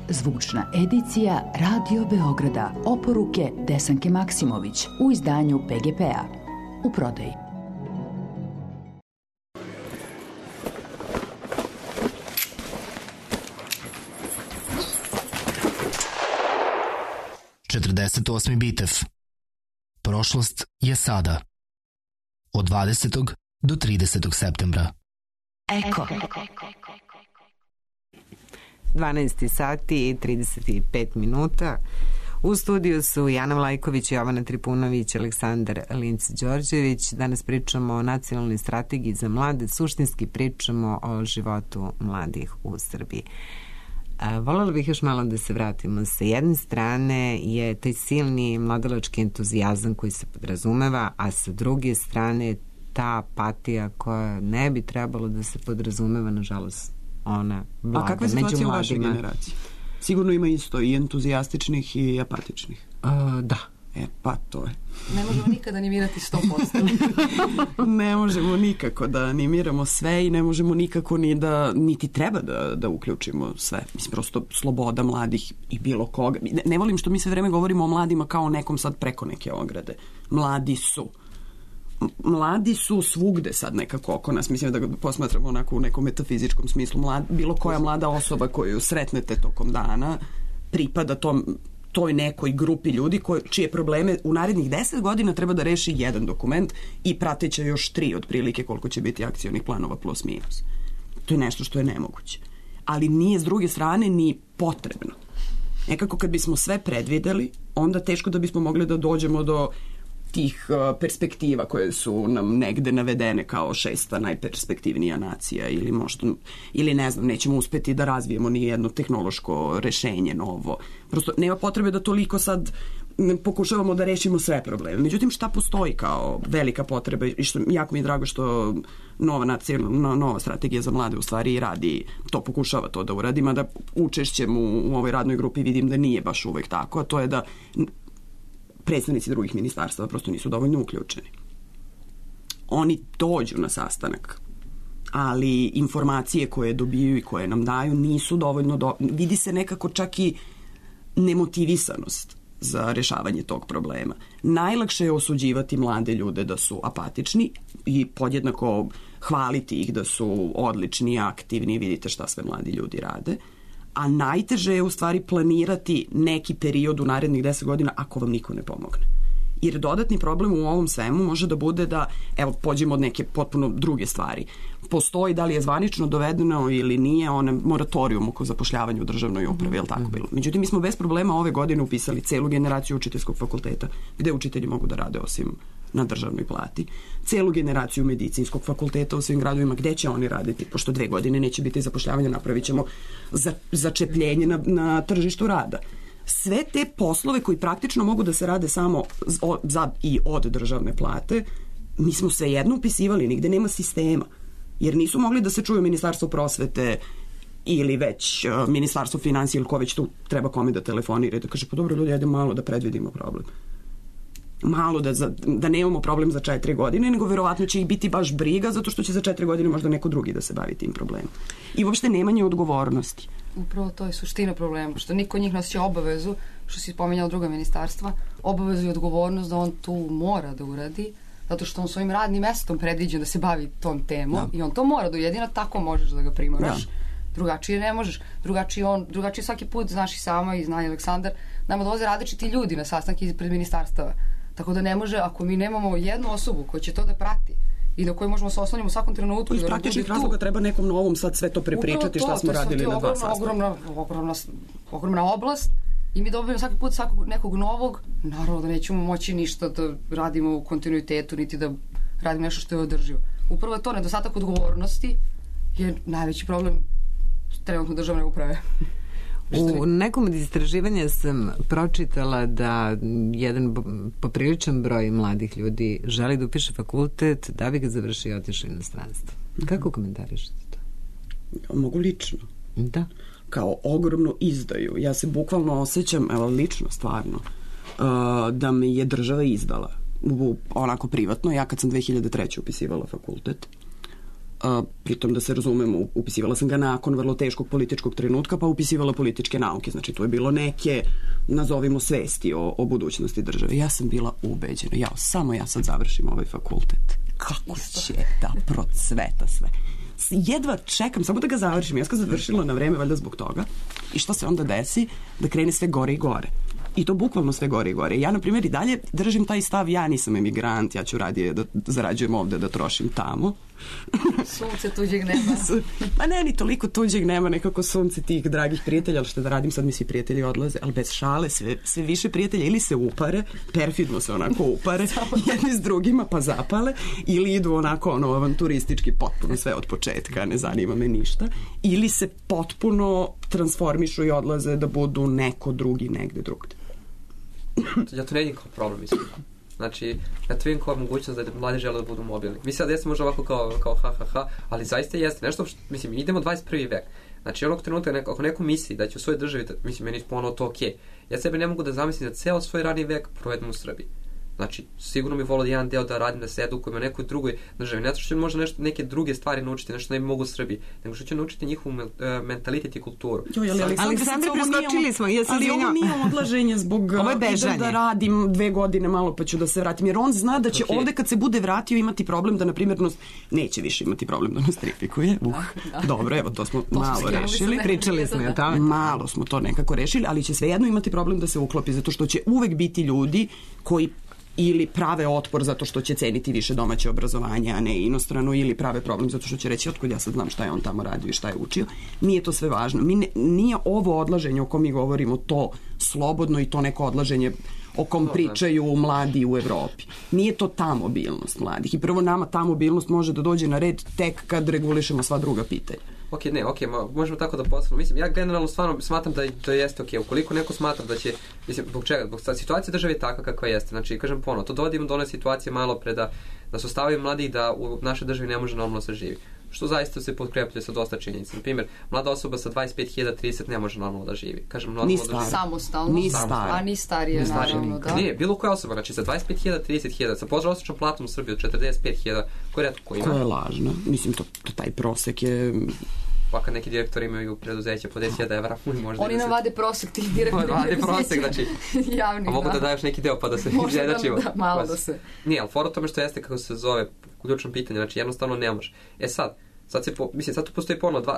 Zvučna edicija Radio Beograda. Oporuke Desanke Maksimović u izdanju PGP-a. U prodaji. Četrdeset Bitev. Prošlost je sada. Od 20. do 30. septembra. Eko. 12 sati i 35 minuta. U studiju su Jana Vlajković, Jovana Tripunović, Aleksandar Linc-Đorđević. Danas pričamo o nacionalnoj strategiji za mlade, suštinski pričamo o životu mladih u Srbiji. Voljela bih još malo da se vratimo. Sa jedne strane je taj silni mladalački entuzijazam koji se podrazumeva, a sa druge strane ta apatija koja ne bi trebalo da se podrazumeva, nažalost, ona vlada. A kakva je situacija u vašoj generaciji? Sigurno ima isto i entuzijastičnih i apatičnih. Da. Pa to je. Ne možemo nikada animirati 100%. Ne možemo nikako da animiramo sve i ne možemo nikako niti treba da uključimo sve. Mislim, prosto sloboda mladih i bilo koga. Ne volim što mi sve vreme govorimo o mladima kao nekom sad preko neke ograde. Mladi su svugde sad nekako oko nas. Mislim da ga posmatramo onako u nekom metafizičkom smislu. Bilo koja mlada osoba koju sretnete tokom dana pripada toj nekoj grupi ljudi čije probleme u narednih 10 godina treba da reši jedan dokument i prateće još 3 otprilike koliko će biti akcionih planova plus minus. To je nešto što je nemoguće. Ali nije s druge strane ni potrebno. Nekako kad bismo sve predvideli, onda teško da bismo mogli da dođemo do tih perspektiva koje su nam negde navedene kao 6. najperspektivnija nacija ili ne znam, nećemo uspeti da razvijemo ni jedno tehnološko rešenje novo. Prosto nema potrebe da toliko sad pokušavamo da rešimo sve probleme. Međutim, šta postoji kao velika potreba i što jako mi je drago što nova strategija za mlade u stvari i radi, to pokušava to da uradi, mada učešćem u ovoj radnoj grupi vidim da nije baš uvek tako, a to je da predstavnici drugih ministarstva prosto nisu dovoljno uključeni. Oni dođu na sastanak, ali informacije koje dobiju i koje nam daju nisu dovoljno vidi se nekako čak i nemotivisanost za rešavanje tog problema. Najlakše je osuđivati mlade ljude da su apatični i podjednako hvaliti ih da su odlični, aktivni, vidite šta sve mladi ljudi rade. A najteže je u stvari planirati neki period u narednih 10 godina ako vam niko ne pomogne. Jer dodatni problem u ovom svemu može da bude da, evo, pođemo od neke potpuno druge stvari. Postoji da li je zvanično dovedeno ili nije moratorijum oko zapošljavanja u državnoj upravi, je li tako bilo? Međutim, mi smo bez problema ove godine upisali celu generaciju učiteljskog fakulteta, gde učitelji mogu da rade osim na državnoj plati. Celu generaciju medicinskog fakulteta u svim gradovima, gde će oni raditi? Pošto 2 godine neće biti zapošljavanja, napravit ćemo začepljenje na tržištu rada. Sve te poslove koji praktično mogu da se rade samo za i od državne plate, mi smo svejedno upisivali, nigde nema sistema. Jer nisu mogli da se čuju Ministarstvo prosvete ili već Ministarstvo finansija ili ko već tu treba kome da telefonira i da kaže, pa dobro ljudi, ajde malo da predvidimo problem. Malo da nemamo problem za 4 godine, nego verovatno će ih biti baš briga zato što će za 4 godine možda neko drugi da se bavi tim problemom. I uopšte nemanje odgovornosti. Upravo to je suština problema, što niko od njih nosi obavezu, što si spominjala druga ministarstva, obavezu i odgovornost da on tu mora da uradi, zato što on svojim radnim mestom predviđa da se bavi tom temom i on to mora da jedino tako možeš da ga primoraš. Drugačije ne možeš. Drugačije svaki put, znaš i sama i zna i Aleksandar, nama dolaze različiti ljudi na sastanke ispred ministarstava. Tako da ne može, ako mi nemamo jednu osobu koja će to da prati i na kojoj možemo se osloniti u svakom trenutku. Iz praktičnih razloga treba nekom novom sad sve to prepričati šta smo radili na 2 sastanka. Ogromna oblast i mi dobijemo svaki put nekog novog. Naravno da nećemo moći ništa da radimo u kontinuitetu, niti da radimo nešto što je održivo. Upravo je to, nedostatak odgovornosti je najveći problem trenutno državne uprave. U nekom od istraživanja sam pročitala da jedan popriličan broj mladih ljudi želi da upiše fakultet da bi ga završio i otišao u inostranstvo. Kako komentarišete to? Mogu lično. Da. Kao ogromnu izdaju. Ja se bukvalno osjećam, evo lično, stvarno, da me je država izdala. Onako privatno. Ja kad sam 2003. upisivala fakultet, pritom da se razumemo, upisivala sam ga nakon vrlo teškog političkog trenutka, pa upisivala političke nauke. Znači, to je bilo neke, nazovimo, svesti o budućnosti države. Ja sam bila ubeđena. Samo ja sad završim ovaj fakultet. Kako će da procveta sve. Jedva čekam, samo da ga završim. Ja sam ga završila na vreme, valjda zbog toga. I što se onda desi? Da krene sve gore i gore. I to bukvalno sve gore i gore. Ja, na primjer, i dalje držim taj stav, ja nisam emigrant, ja ću radije da zarađujem ovde, da trošim tamo. Sunce tuđeg nema. Pa ne, ni toliko tuđeg nema, nekako sunce tih dragih prijatelja, ali što da radim, sad mi svi prijatelji odlaze, ali bez šale, sve više prijatelja ili se upare, perfidno se onako upare, jedni s drugima pa zapale, ili idu onako avanturistički potpuno sve od početka, ne zanima me ništa, ili se potpuno transformišu i odlaze da budu neko drugi negde drugde. Ja to ne vidim kao problem, mislim. Znači, ja to vidim kao mogućnost da mladi žele da budu mobilni. Mi sad jeste možda ovako kao ha, ali zaista jeste nešto, mislim, idemo 21. vek. Znači, onog trenutka, ako neko misli da će u svojoj državi, mislim, meni ponovno to okej. Ja sebe ne mogu da zamislim da ceo svoj radni vek provedem u Srbiji. Znači, sigurno mi volio jedan deo da radim, da se edukujem u nekoj drugoj državi. Ne zato što ću možda neke druge stvari naučiti, nešto ne mogu u Srbiji, nego što ću naučiti njihovu mentalitet i kulturu. Aleksandre, preskočili smo. Ali ovo nije odlaženje zbog da radim 2 godine malo pa ću da se vratim. Jer on zna da će ovde kad se bude vratio imati problem da, na primjer, neće više imati problem da nostrifikuje. Dobro, evo, to smo malo rešili. Pričali smo o tome. Malo smo to nekako rešili, ali će svejedno imati problem da se uklopi, zato što će uvek biti ljudi koji ili prave otpor zato što će ceniti više domaće obrazovanje, a ne inostrano, ili prave problem zato što će reći otkud ja sad znam šta je on tamo radio i šta je učio. Nije to sve važno. Nije ovo odlaženje o kom mi govorimo to slobodno i to neko odlaženje o kom pričaju mladi u Evropi. Nije to ta mobilnost mladih. I prvo nama ta mobilnost može da dođe na red tek kad regulišemo sva druga pitanja. Možemo tako da postavimo. Mislim, ja generalno stvarno smatram da jeste okej. Ukoliko neko smatra da će, mislim, zbog čega? Zbog situacija države je takva kakva jeste. Znači, kažem ponovo, to dovodimo do one situacije malo pre da se ostavaju mladi da u našoj državi ne može normalno se živi. Što zaista se potkrepljuje sa dosta činjenica. Na primjer, mlada osoba sa 25.030 ne može normalno da živi. Kažem, ni stara. Samostalno. Ni stara. A ni starije, naravno, da. Nije, bilo koja osoba, znači sa 25.000, 30.000, sa prosječnom platom u Srbiji od 45.000, ko je retko ko ima? Ko je lažno. Mislim, taj prosek je... Pa kad neki direktori imaju preduzeće po 10.000 evra, možda... Oni navade prosek tih direktori preduzeća. Prosek, znači... Javni, a mogu da daješ neki deo pa da se... Možda da, malo da se... Nije, ali fora tome što jeste kako se zove ključno pitanje, znači jednostavno ne može. Sad tu postoji ponovno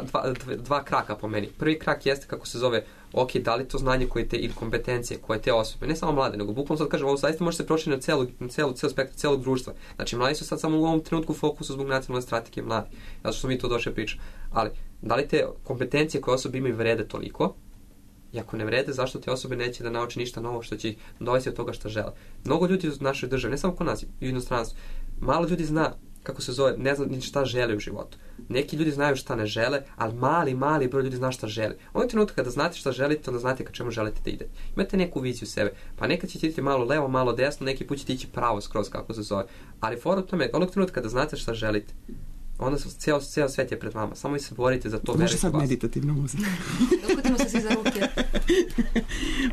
dva kraka po meni. Prvi krak jeste kako se zove, ok, da li to znanje koje te, ili kompetencije koje te osobe, ne samo mlade, nego bukvalno sad kažem, ovo zaista može se prošiti na celu spektru celog društva. Znači, mladi su sad samo u ovom trenutku u fokusu zbog nacionalne strategije mladi. Zato što mi to došli pričamo. Ali, da li te kompetencije koje osobe imaju vrede toliko? I ako ne vrede, zašto te osobe neće da nauče ništa novo što će ih dovesti od toga što žele? Mnogo ljudi u našoj državi, ne samo kod nas, i u inostranstvu, malo ljudi zna kako se zove, ne zna ni šta žele u životu. Neki ljudi znaju šta ne žele, ali mali broj ljudi zna šta žele. Ovo je trenutak kada znate šta želite, onda znate ka čemu želite da idete. Imate neku viziju sebe, pa nekad ćete iditi malo levo, malo desno, neki put ćete ići pravo skroz, kako se zove. Ali fora u tome, onog trenutka kada znate šta želite, onda ceo svet je pred vama. Samo vi se borite za to. Može sad meditativno muzika. Ukutimo se svi za ruke.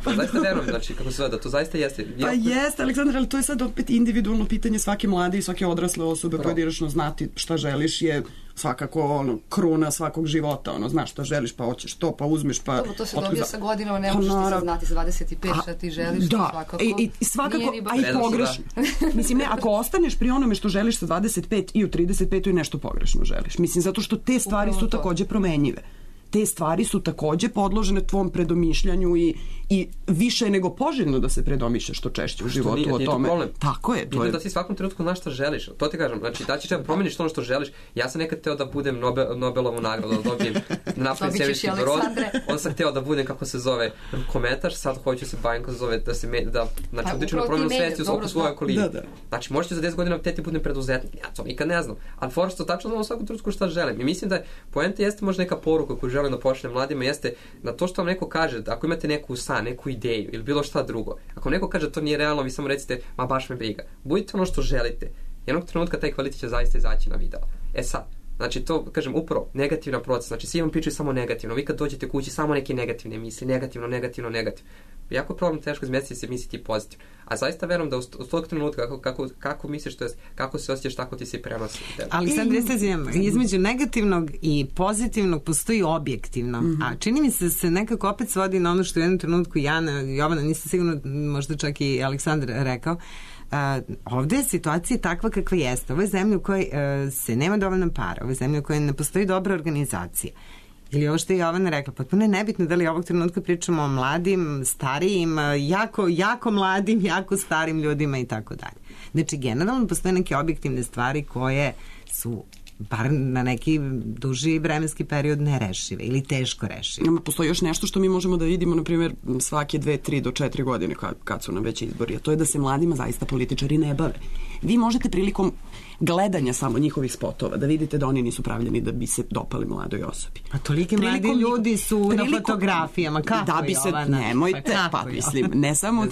Pa zaista verujem, znači, kako se zove, da to zaista jeste. Pa jeste, Aleksandar, ali to je sad opet individualno pitanje svake mlade i svake odrasle osobe. Pojedinačno znati šta želiš je svakako kruna svakog života. Znaš šta želiš, pa hoćeš to, pa uzmeš, pa... To se dobija sa godinama, ne možeš ti sad znati sa 25 šta ti želiš. Da, i svakako, a i pogrešno. Mislim, ne, ako ostaneš pri onome što želiš sa 25 i u 35 i nešto pogrešno želiš. Mislim, zato što te stvari su takođe promenjive. Te stvari su takođe podložene tvom predomišljanju i više je nego poželjno da se predomišlja što češće u životu o tome. Tako je. To je da ti svakom trenutku znaš šta želiš. To ti kažem, znači da ćeš promeniš ono što želiš. Ja sam nekad teo da budem Nobelovu nagradu, da dobijem napravim sebički brod. Onda sam hteo da budem, kako se zove, kometaš, sad hoću se bavim, kako se zove, znači utičem na promenu svesti oko svoje okoline. Znači možete za 10 godina teti budem preduzetnik. Ja to nikad ne znam. Ali fora što tačno znam u svakom trenutku šta želim. I mislim da poenta jeste možda neka poruka koju želim da pošaljem mladima, jeste na to što vam neko kaže, da ako imate neku san, neku ideju ili bilo šta drugo, ako neko kaže to nije realno, vi samo recite, ma baš me briga. Budite ono što želite. Jednog trenutka taj kvalitet će zaista izaći na video. Sad, znači to, kažem, upravo, negativna proces, znači svi vam pričaju samo negativno, vi kad dođete kući samo neke negativne misli, negativno. Jako je problem teško izmestiti se misliti pozitivno. A zaista verujem da u tog trenutka kako misliš, to jest kako se osjećaš, tako ti se prenosi. Ali sad između negativnog i pozitivnog postoji objektivno. A čini mi se da se nekako opet svodi na ono što u jednom trenutku Jovana, nisam sigurno, možda čak i Aleksandar rekao, ovde je situacija takva kakva jeste. Ovo je zemlja u kojoj se nema dovoljno para, ovo je zemlja u kojoj ne postoji dobra organizacija. Ili ovo što je Jovana rekla, potpuno je nebitno da li ovog trenutka pričamo o mladim, starijim, jako mladim, jako starim ljudima i tako dalje. Znači, generalno postoje neke objektivne stvari koje su bar na neki duži vremenski period nerešive ili teško rešive. Postoji još nešto što mi možemo da vidimo, na primjer, svake 2, 3 do 4 godine kad su nam već izbori, a to je da se mladima zaista političari ne bave. Vi možete prilikom gledanja samo njihovih spotova da vidite da oni nisu pravljeni da bi se dopali mladoj osobi. A toliki mladi ljudi su na fotografijama. Kako da bi se, nemojte, mislim, ne samo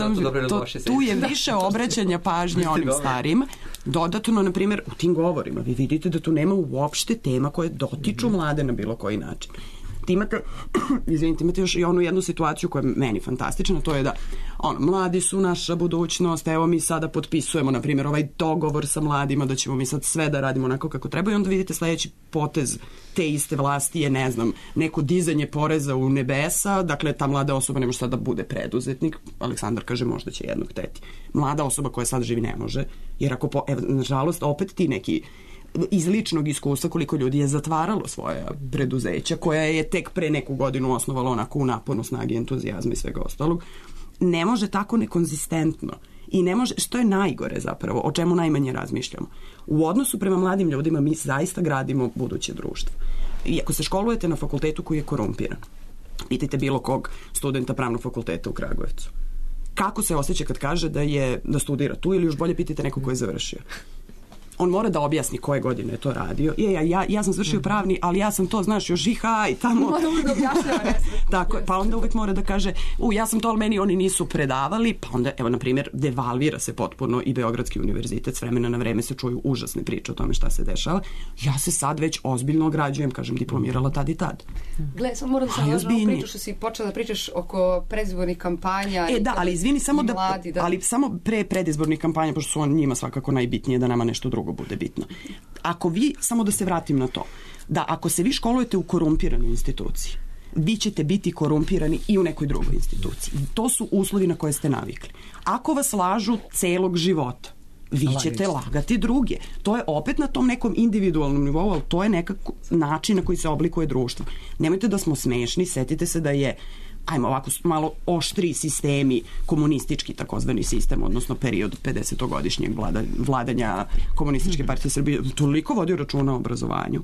tu je više obraćanja pažnje onim starijima. Dodatno, na primjer, u tim govorima vi vidite da tu nema uopšte tema koje dotiču mlade na bilo koji način. Imate još i onu jednu situaciju koja je meni fantastična, to je da mladi su naša budućnost, evo mi sada potpisujemo, na primjer, ovaj dogovor sa mladima da ćemo mi sad sve da radimo onako kako treba i onda vidite sledeći potez te iste vlasti je, ne znam, neko dizanje poreza u nebesa, dakle ta mlada osoba ne može sad da bude preduzetnik, Aleksandar kaže možda će jednog hteti. Mlada osoba koja sad živi ne može, jer ako, nažalost, opet ti neki iz ličnog iskustva koliko ljudi je zatvaralo svoja preduzeća koja je tek pre neku godinu osnovalo onako u naponu snage, entuzijazma i svega ostalog, ne može tako nekonzistentno i ne može, što je najgore zapravo, o čemu najmanje razmišljamo. U odnosu prema mladim ljudima mi zaista gradimo buduće društvo. I ako se školujete na fakultetu koji je korumpiran, pitajte bilo kog studenta pravnog fakulteta u Kragujevcu. Kako se osjeća kad kaže da studira tu ili još bolje pitajte nekog ko je završio. On mora da objasni koje godine je to radio. Ja sam završio pravni, ali ja sam to, znaš, još i tamo. Mora uvijek da objašnjava. Tako, pa onda uvijek mora da kaže, ja sam to, ali meni oni nisu predavali, pa onda, evo, na primjer, devalvira se potpuno i Beogradski univerzitet, s vremena na vreme se čuju užasne priče o tome šta se dešava. Ja se sad već ozbiljno ograđujem, kažem, diplomirala tad i tad. Gle, samo moram da sam nažno priču što si počela da pričaš oko predizbornih kampanja. Da, ali izvini, samo ali samo pre predizbornih kampanja, pošto su njima svakako najbitnije da nama nešto drugo bude bitno. Ako vi, samo da se vratim na to, da ako se vi školujete u korumpiranoj instituciji, vi ćete biti korumpirani i u nekoj drugoj instituciji. To su uslovi na koje ste navikli. Ako vas lažu celog života, vi ćete lagati druge. To je opet na tom nekom individualnom nivou, ali to je nekako način na koji se oblikuje društvo. Nemojte da smo smešni, setite se da je ajmo ovako malo oštri sistemi, komunistički takozvani sistem, odnosno period 50-godišnjeg vladanja Komunističke partije Srbije, toliko vodio računa o obrazovanju.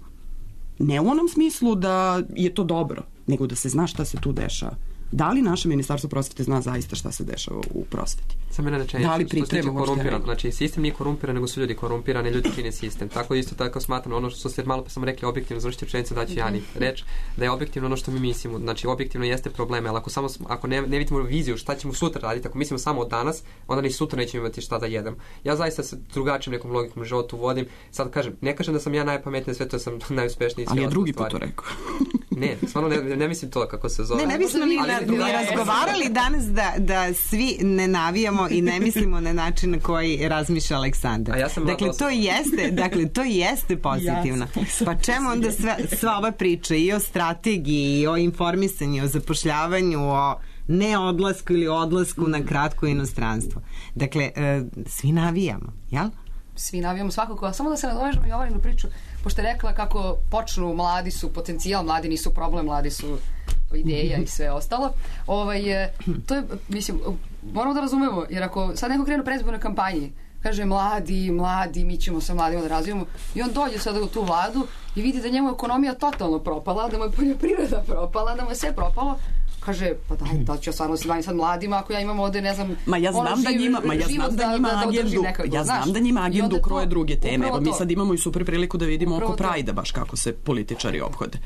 Ne u onom smislu da je to dobro, nego da se zna šta se tu dešava. Da li naše ministarstvo prosvete zna zaista šta se dešava u prosveti? Samo jedna rečenica, da li priprema korumpiran? Znači, sistem nije korumpiran, nego su ljudi korumpirani, ljudi čine sistem. Tako isto tako smatram ono što ste malo pa sam rekli objektivno, završite rečenicu daću Jani reč, da je objektivno ono što mi mislimo. Znači, objektivno jeste probleme, ali ako ne vidimo viziju šta ćemo sutra raditi, ako mislimo samo od danas, onda ni sutra nećemo imati šta da jedemo. Ja zaista se drugačijim nekom logikom životu vodim. Sad kažem, ne kažem da sam ja najpametniji, sve to sam najuspešniji. Ali je drugi put to rekao. Ne, stvarno ne mislim to kako se zove. Ne bismo ni razgovarali danas da svi ne navijamo i ne mislimo na način na koji razmišlja Aleksandar. Dakle, to jeste pozitivno. Pa čemu onda sva ova priča i o strategiji, i o informisanju, o zapošljavanju, o neodlasku ili odlasku na kratko inostranstvo. Dakle, svi navijamo, jel? Svi navijamo svakako. Samo da se nadovežemo Jovaninu priču, pošto je rekla kako počnu, mladi su potencijal, mladi nisu problem, mladi su ideja i sve ostalo. To je, mislim, moramo da razumemo, jer ako sad neko krene u predizbornoj kampanji, kaže mladi, mi ćemo sa mladima da razvijemo, i on dođe sada u tu vladu i vidi da njemu je ekonomija totalno propala, da mu je poljoprivreda propala, da mu je sve propalo, kaže, pa da ću ja stvarno se bavim sad mladima ako ja imam ovde, ne znam, ja znam da njima agendu kroje druge teme. Evo, mi sad imamo i super priliku da vidimo oko Prajda baš kako se političari ophode.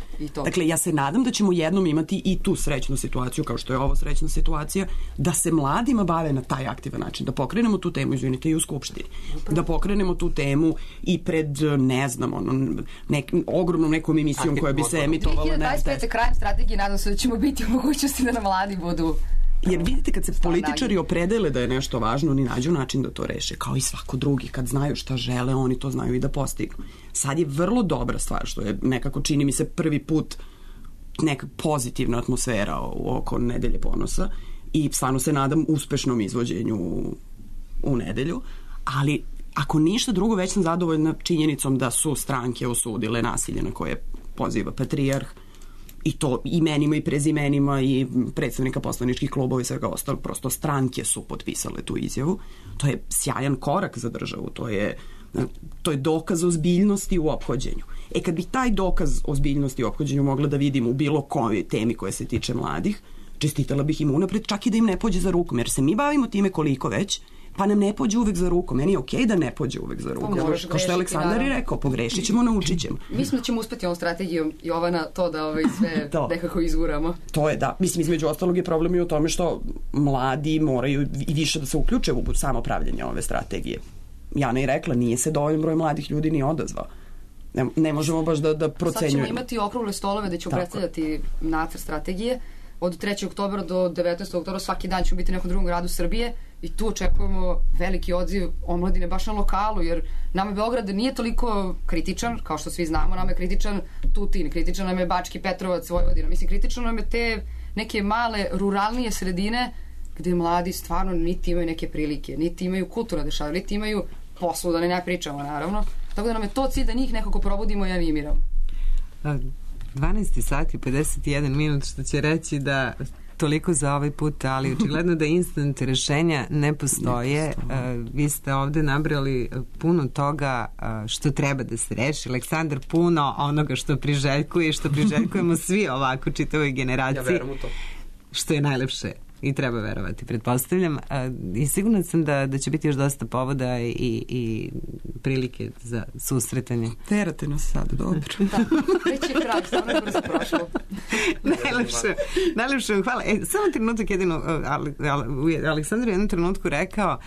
Dakle, ja se nadam da ćemo jednom imati i tu srećnu situaciju, kao što je ovo srećna situacija, da se mladima bave na taj aktivan način, da pokrenemo tu temu, izvinite, i u Skupštini, da pokrenemo tu temu i pred, ne znam, ogromnom nekom emisijom koja bi se emitovala na RTS. 2025. krajem strategije, nadam se da ćemo biti u mogućnosti da na mladi budu. Jer vidite, kad se političari opredele da je nešto važno, oni nađu način da to reše, kao i svako drugi. Kad znaju šta žele, oni to znaju i da postignu. Sad je vrlo dobra stvar, što je nekako, čini mi se, prvi put neka pozitivna atmosfera oko Nedelje ponosa i stvarno se nadam uspešnom izvođenju u nedelju, ali ako ništa drugo, već sam zadovoljna činjenicom da su stranke osudile nasilje na koje poziva patrijarh I to imenima i prezimenima i predstavnika poslaničkih klubova i svega ostalo, prosto stranke su potpisale tu izjavu. To je sjajan korak za državu, to je dokaz ozbiljnosti u ophođenju. Kad bi taj dokaz ozbiljnosti u ophođenju mogla da vidim u bilo kojoj temi koja se tiče mladih, čestitala bih im unapred, čak i da im ne pođe za rukom, jer se mi bavimo time koliko već, pa nam ne pođe uvek za rukom. Meni je okej da ne pođe uvek za rukom. Kao što je Aleksandar i rekao, pogrešit ćemo, naučit ćemo. Mislim da ćemo uspeti ovom strategijom, Jovana, to da sve nekako izguramo. To je, da. Mislim, između ostalog je problem i u tome što mladi moraju i više da se uključe u samo pravljanje ove strategije. Jana je rekla, nije se dovoljno broj mladih ljudi ni odazvao. Ne možemo baš da procenjujemo. Sad ćemo imati okrugle stolove da ćemo predstavljati nacrt strategije. Od 3. oktobra do 19. oktobra svaki dan ćemo biti u nekom drugom gradu Srbije i tu očekujemo veliki odziv omladine baš na lokalu, jer nama Beograd nije toliko kritičan, kao što svi znamo, nama je kritičan Tutin, kritičan nam je Bački Petrovac, Vojvodina. Mislim, kritičan nam je te neke male, ruralnije sredine gde mladi stvarno niti imaju neke prilike, niti imaju kulturno dešavanje, niti imaju poslu, da ne pričamo, naravno. Tako da nam je to cilj da njih nekako probudimo i animiramo. 12 sati 51 minut, što će reći da toliko za ovaj put, ali očigledno da instant rešenja ne postoje. Vi ste ovde nabrali puno toga što treba da se reši. Aleksandar, puno onoga što priželjkuje i što priželjkujemo svi ovako čitavoj generaciji. Ja verujem u to. Što je najlepše i treba verovati, pretpostavljam. I sigurno sam da će biti još dosta povoda i prilike za susretanje. Terate nas sad, dobro. Da, već je kraj, stvarno je brzo prošlo. Najlepše vam hvala. Samo trenutak jedino, Aleksandar je u jednom trenutku rekao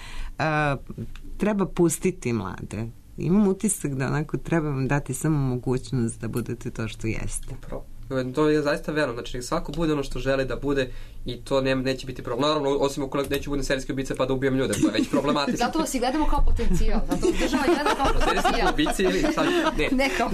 treba pustiti mlade. Imam utisak da onako treba vam dati samo mogućnost da budete to što jeste. To je zaista verno, znači svako bude ono što želi da bude i to neće biti problem. Naravno, osim ukoliko neću budem serijski ubica pa da ubijem ljude, to je već problematično. Zato vas i gledamo kao potencijal, zato država gleda kao potencijal. Ubici ili sad? Ne kao.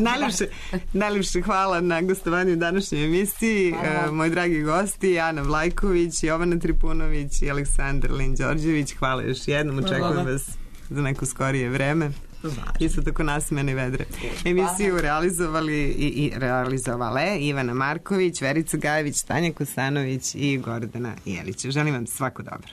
Najlepše hvala na gostovanju u današnjoj emisiji. Moji dragi gosti, Ana Vlajković, Jovana Tripunović i Aleksandar Lin-Đorđević. Hvala još jednom, očekujem vas za neko skorije vreme. Isto tako nasmene vedre. Emisiju realizovali i realizovale Ivana Marković, Verica Gajević, Tanja Kosanović i Gordana Jelić. Želim vam svako dobro.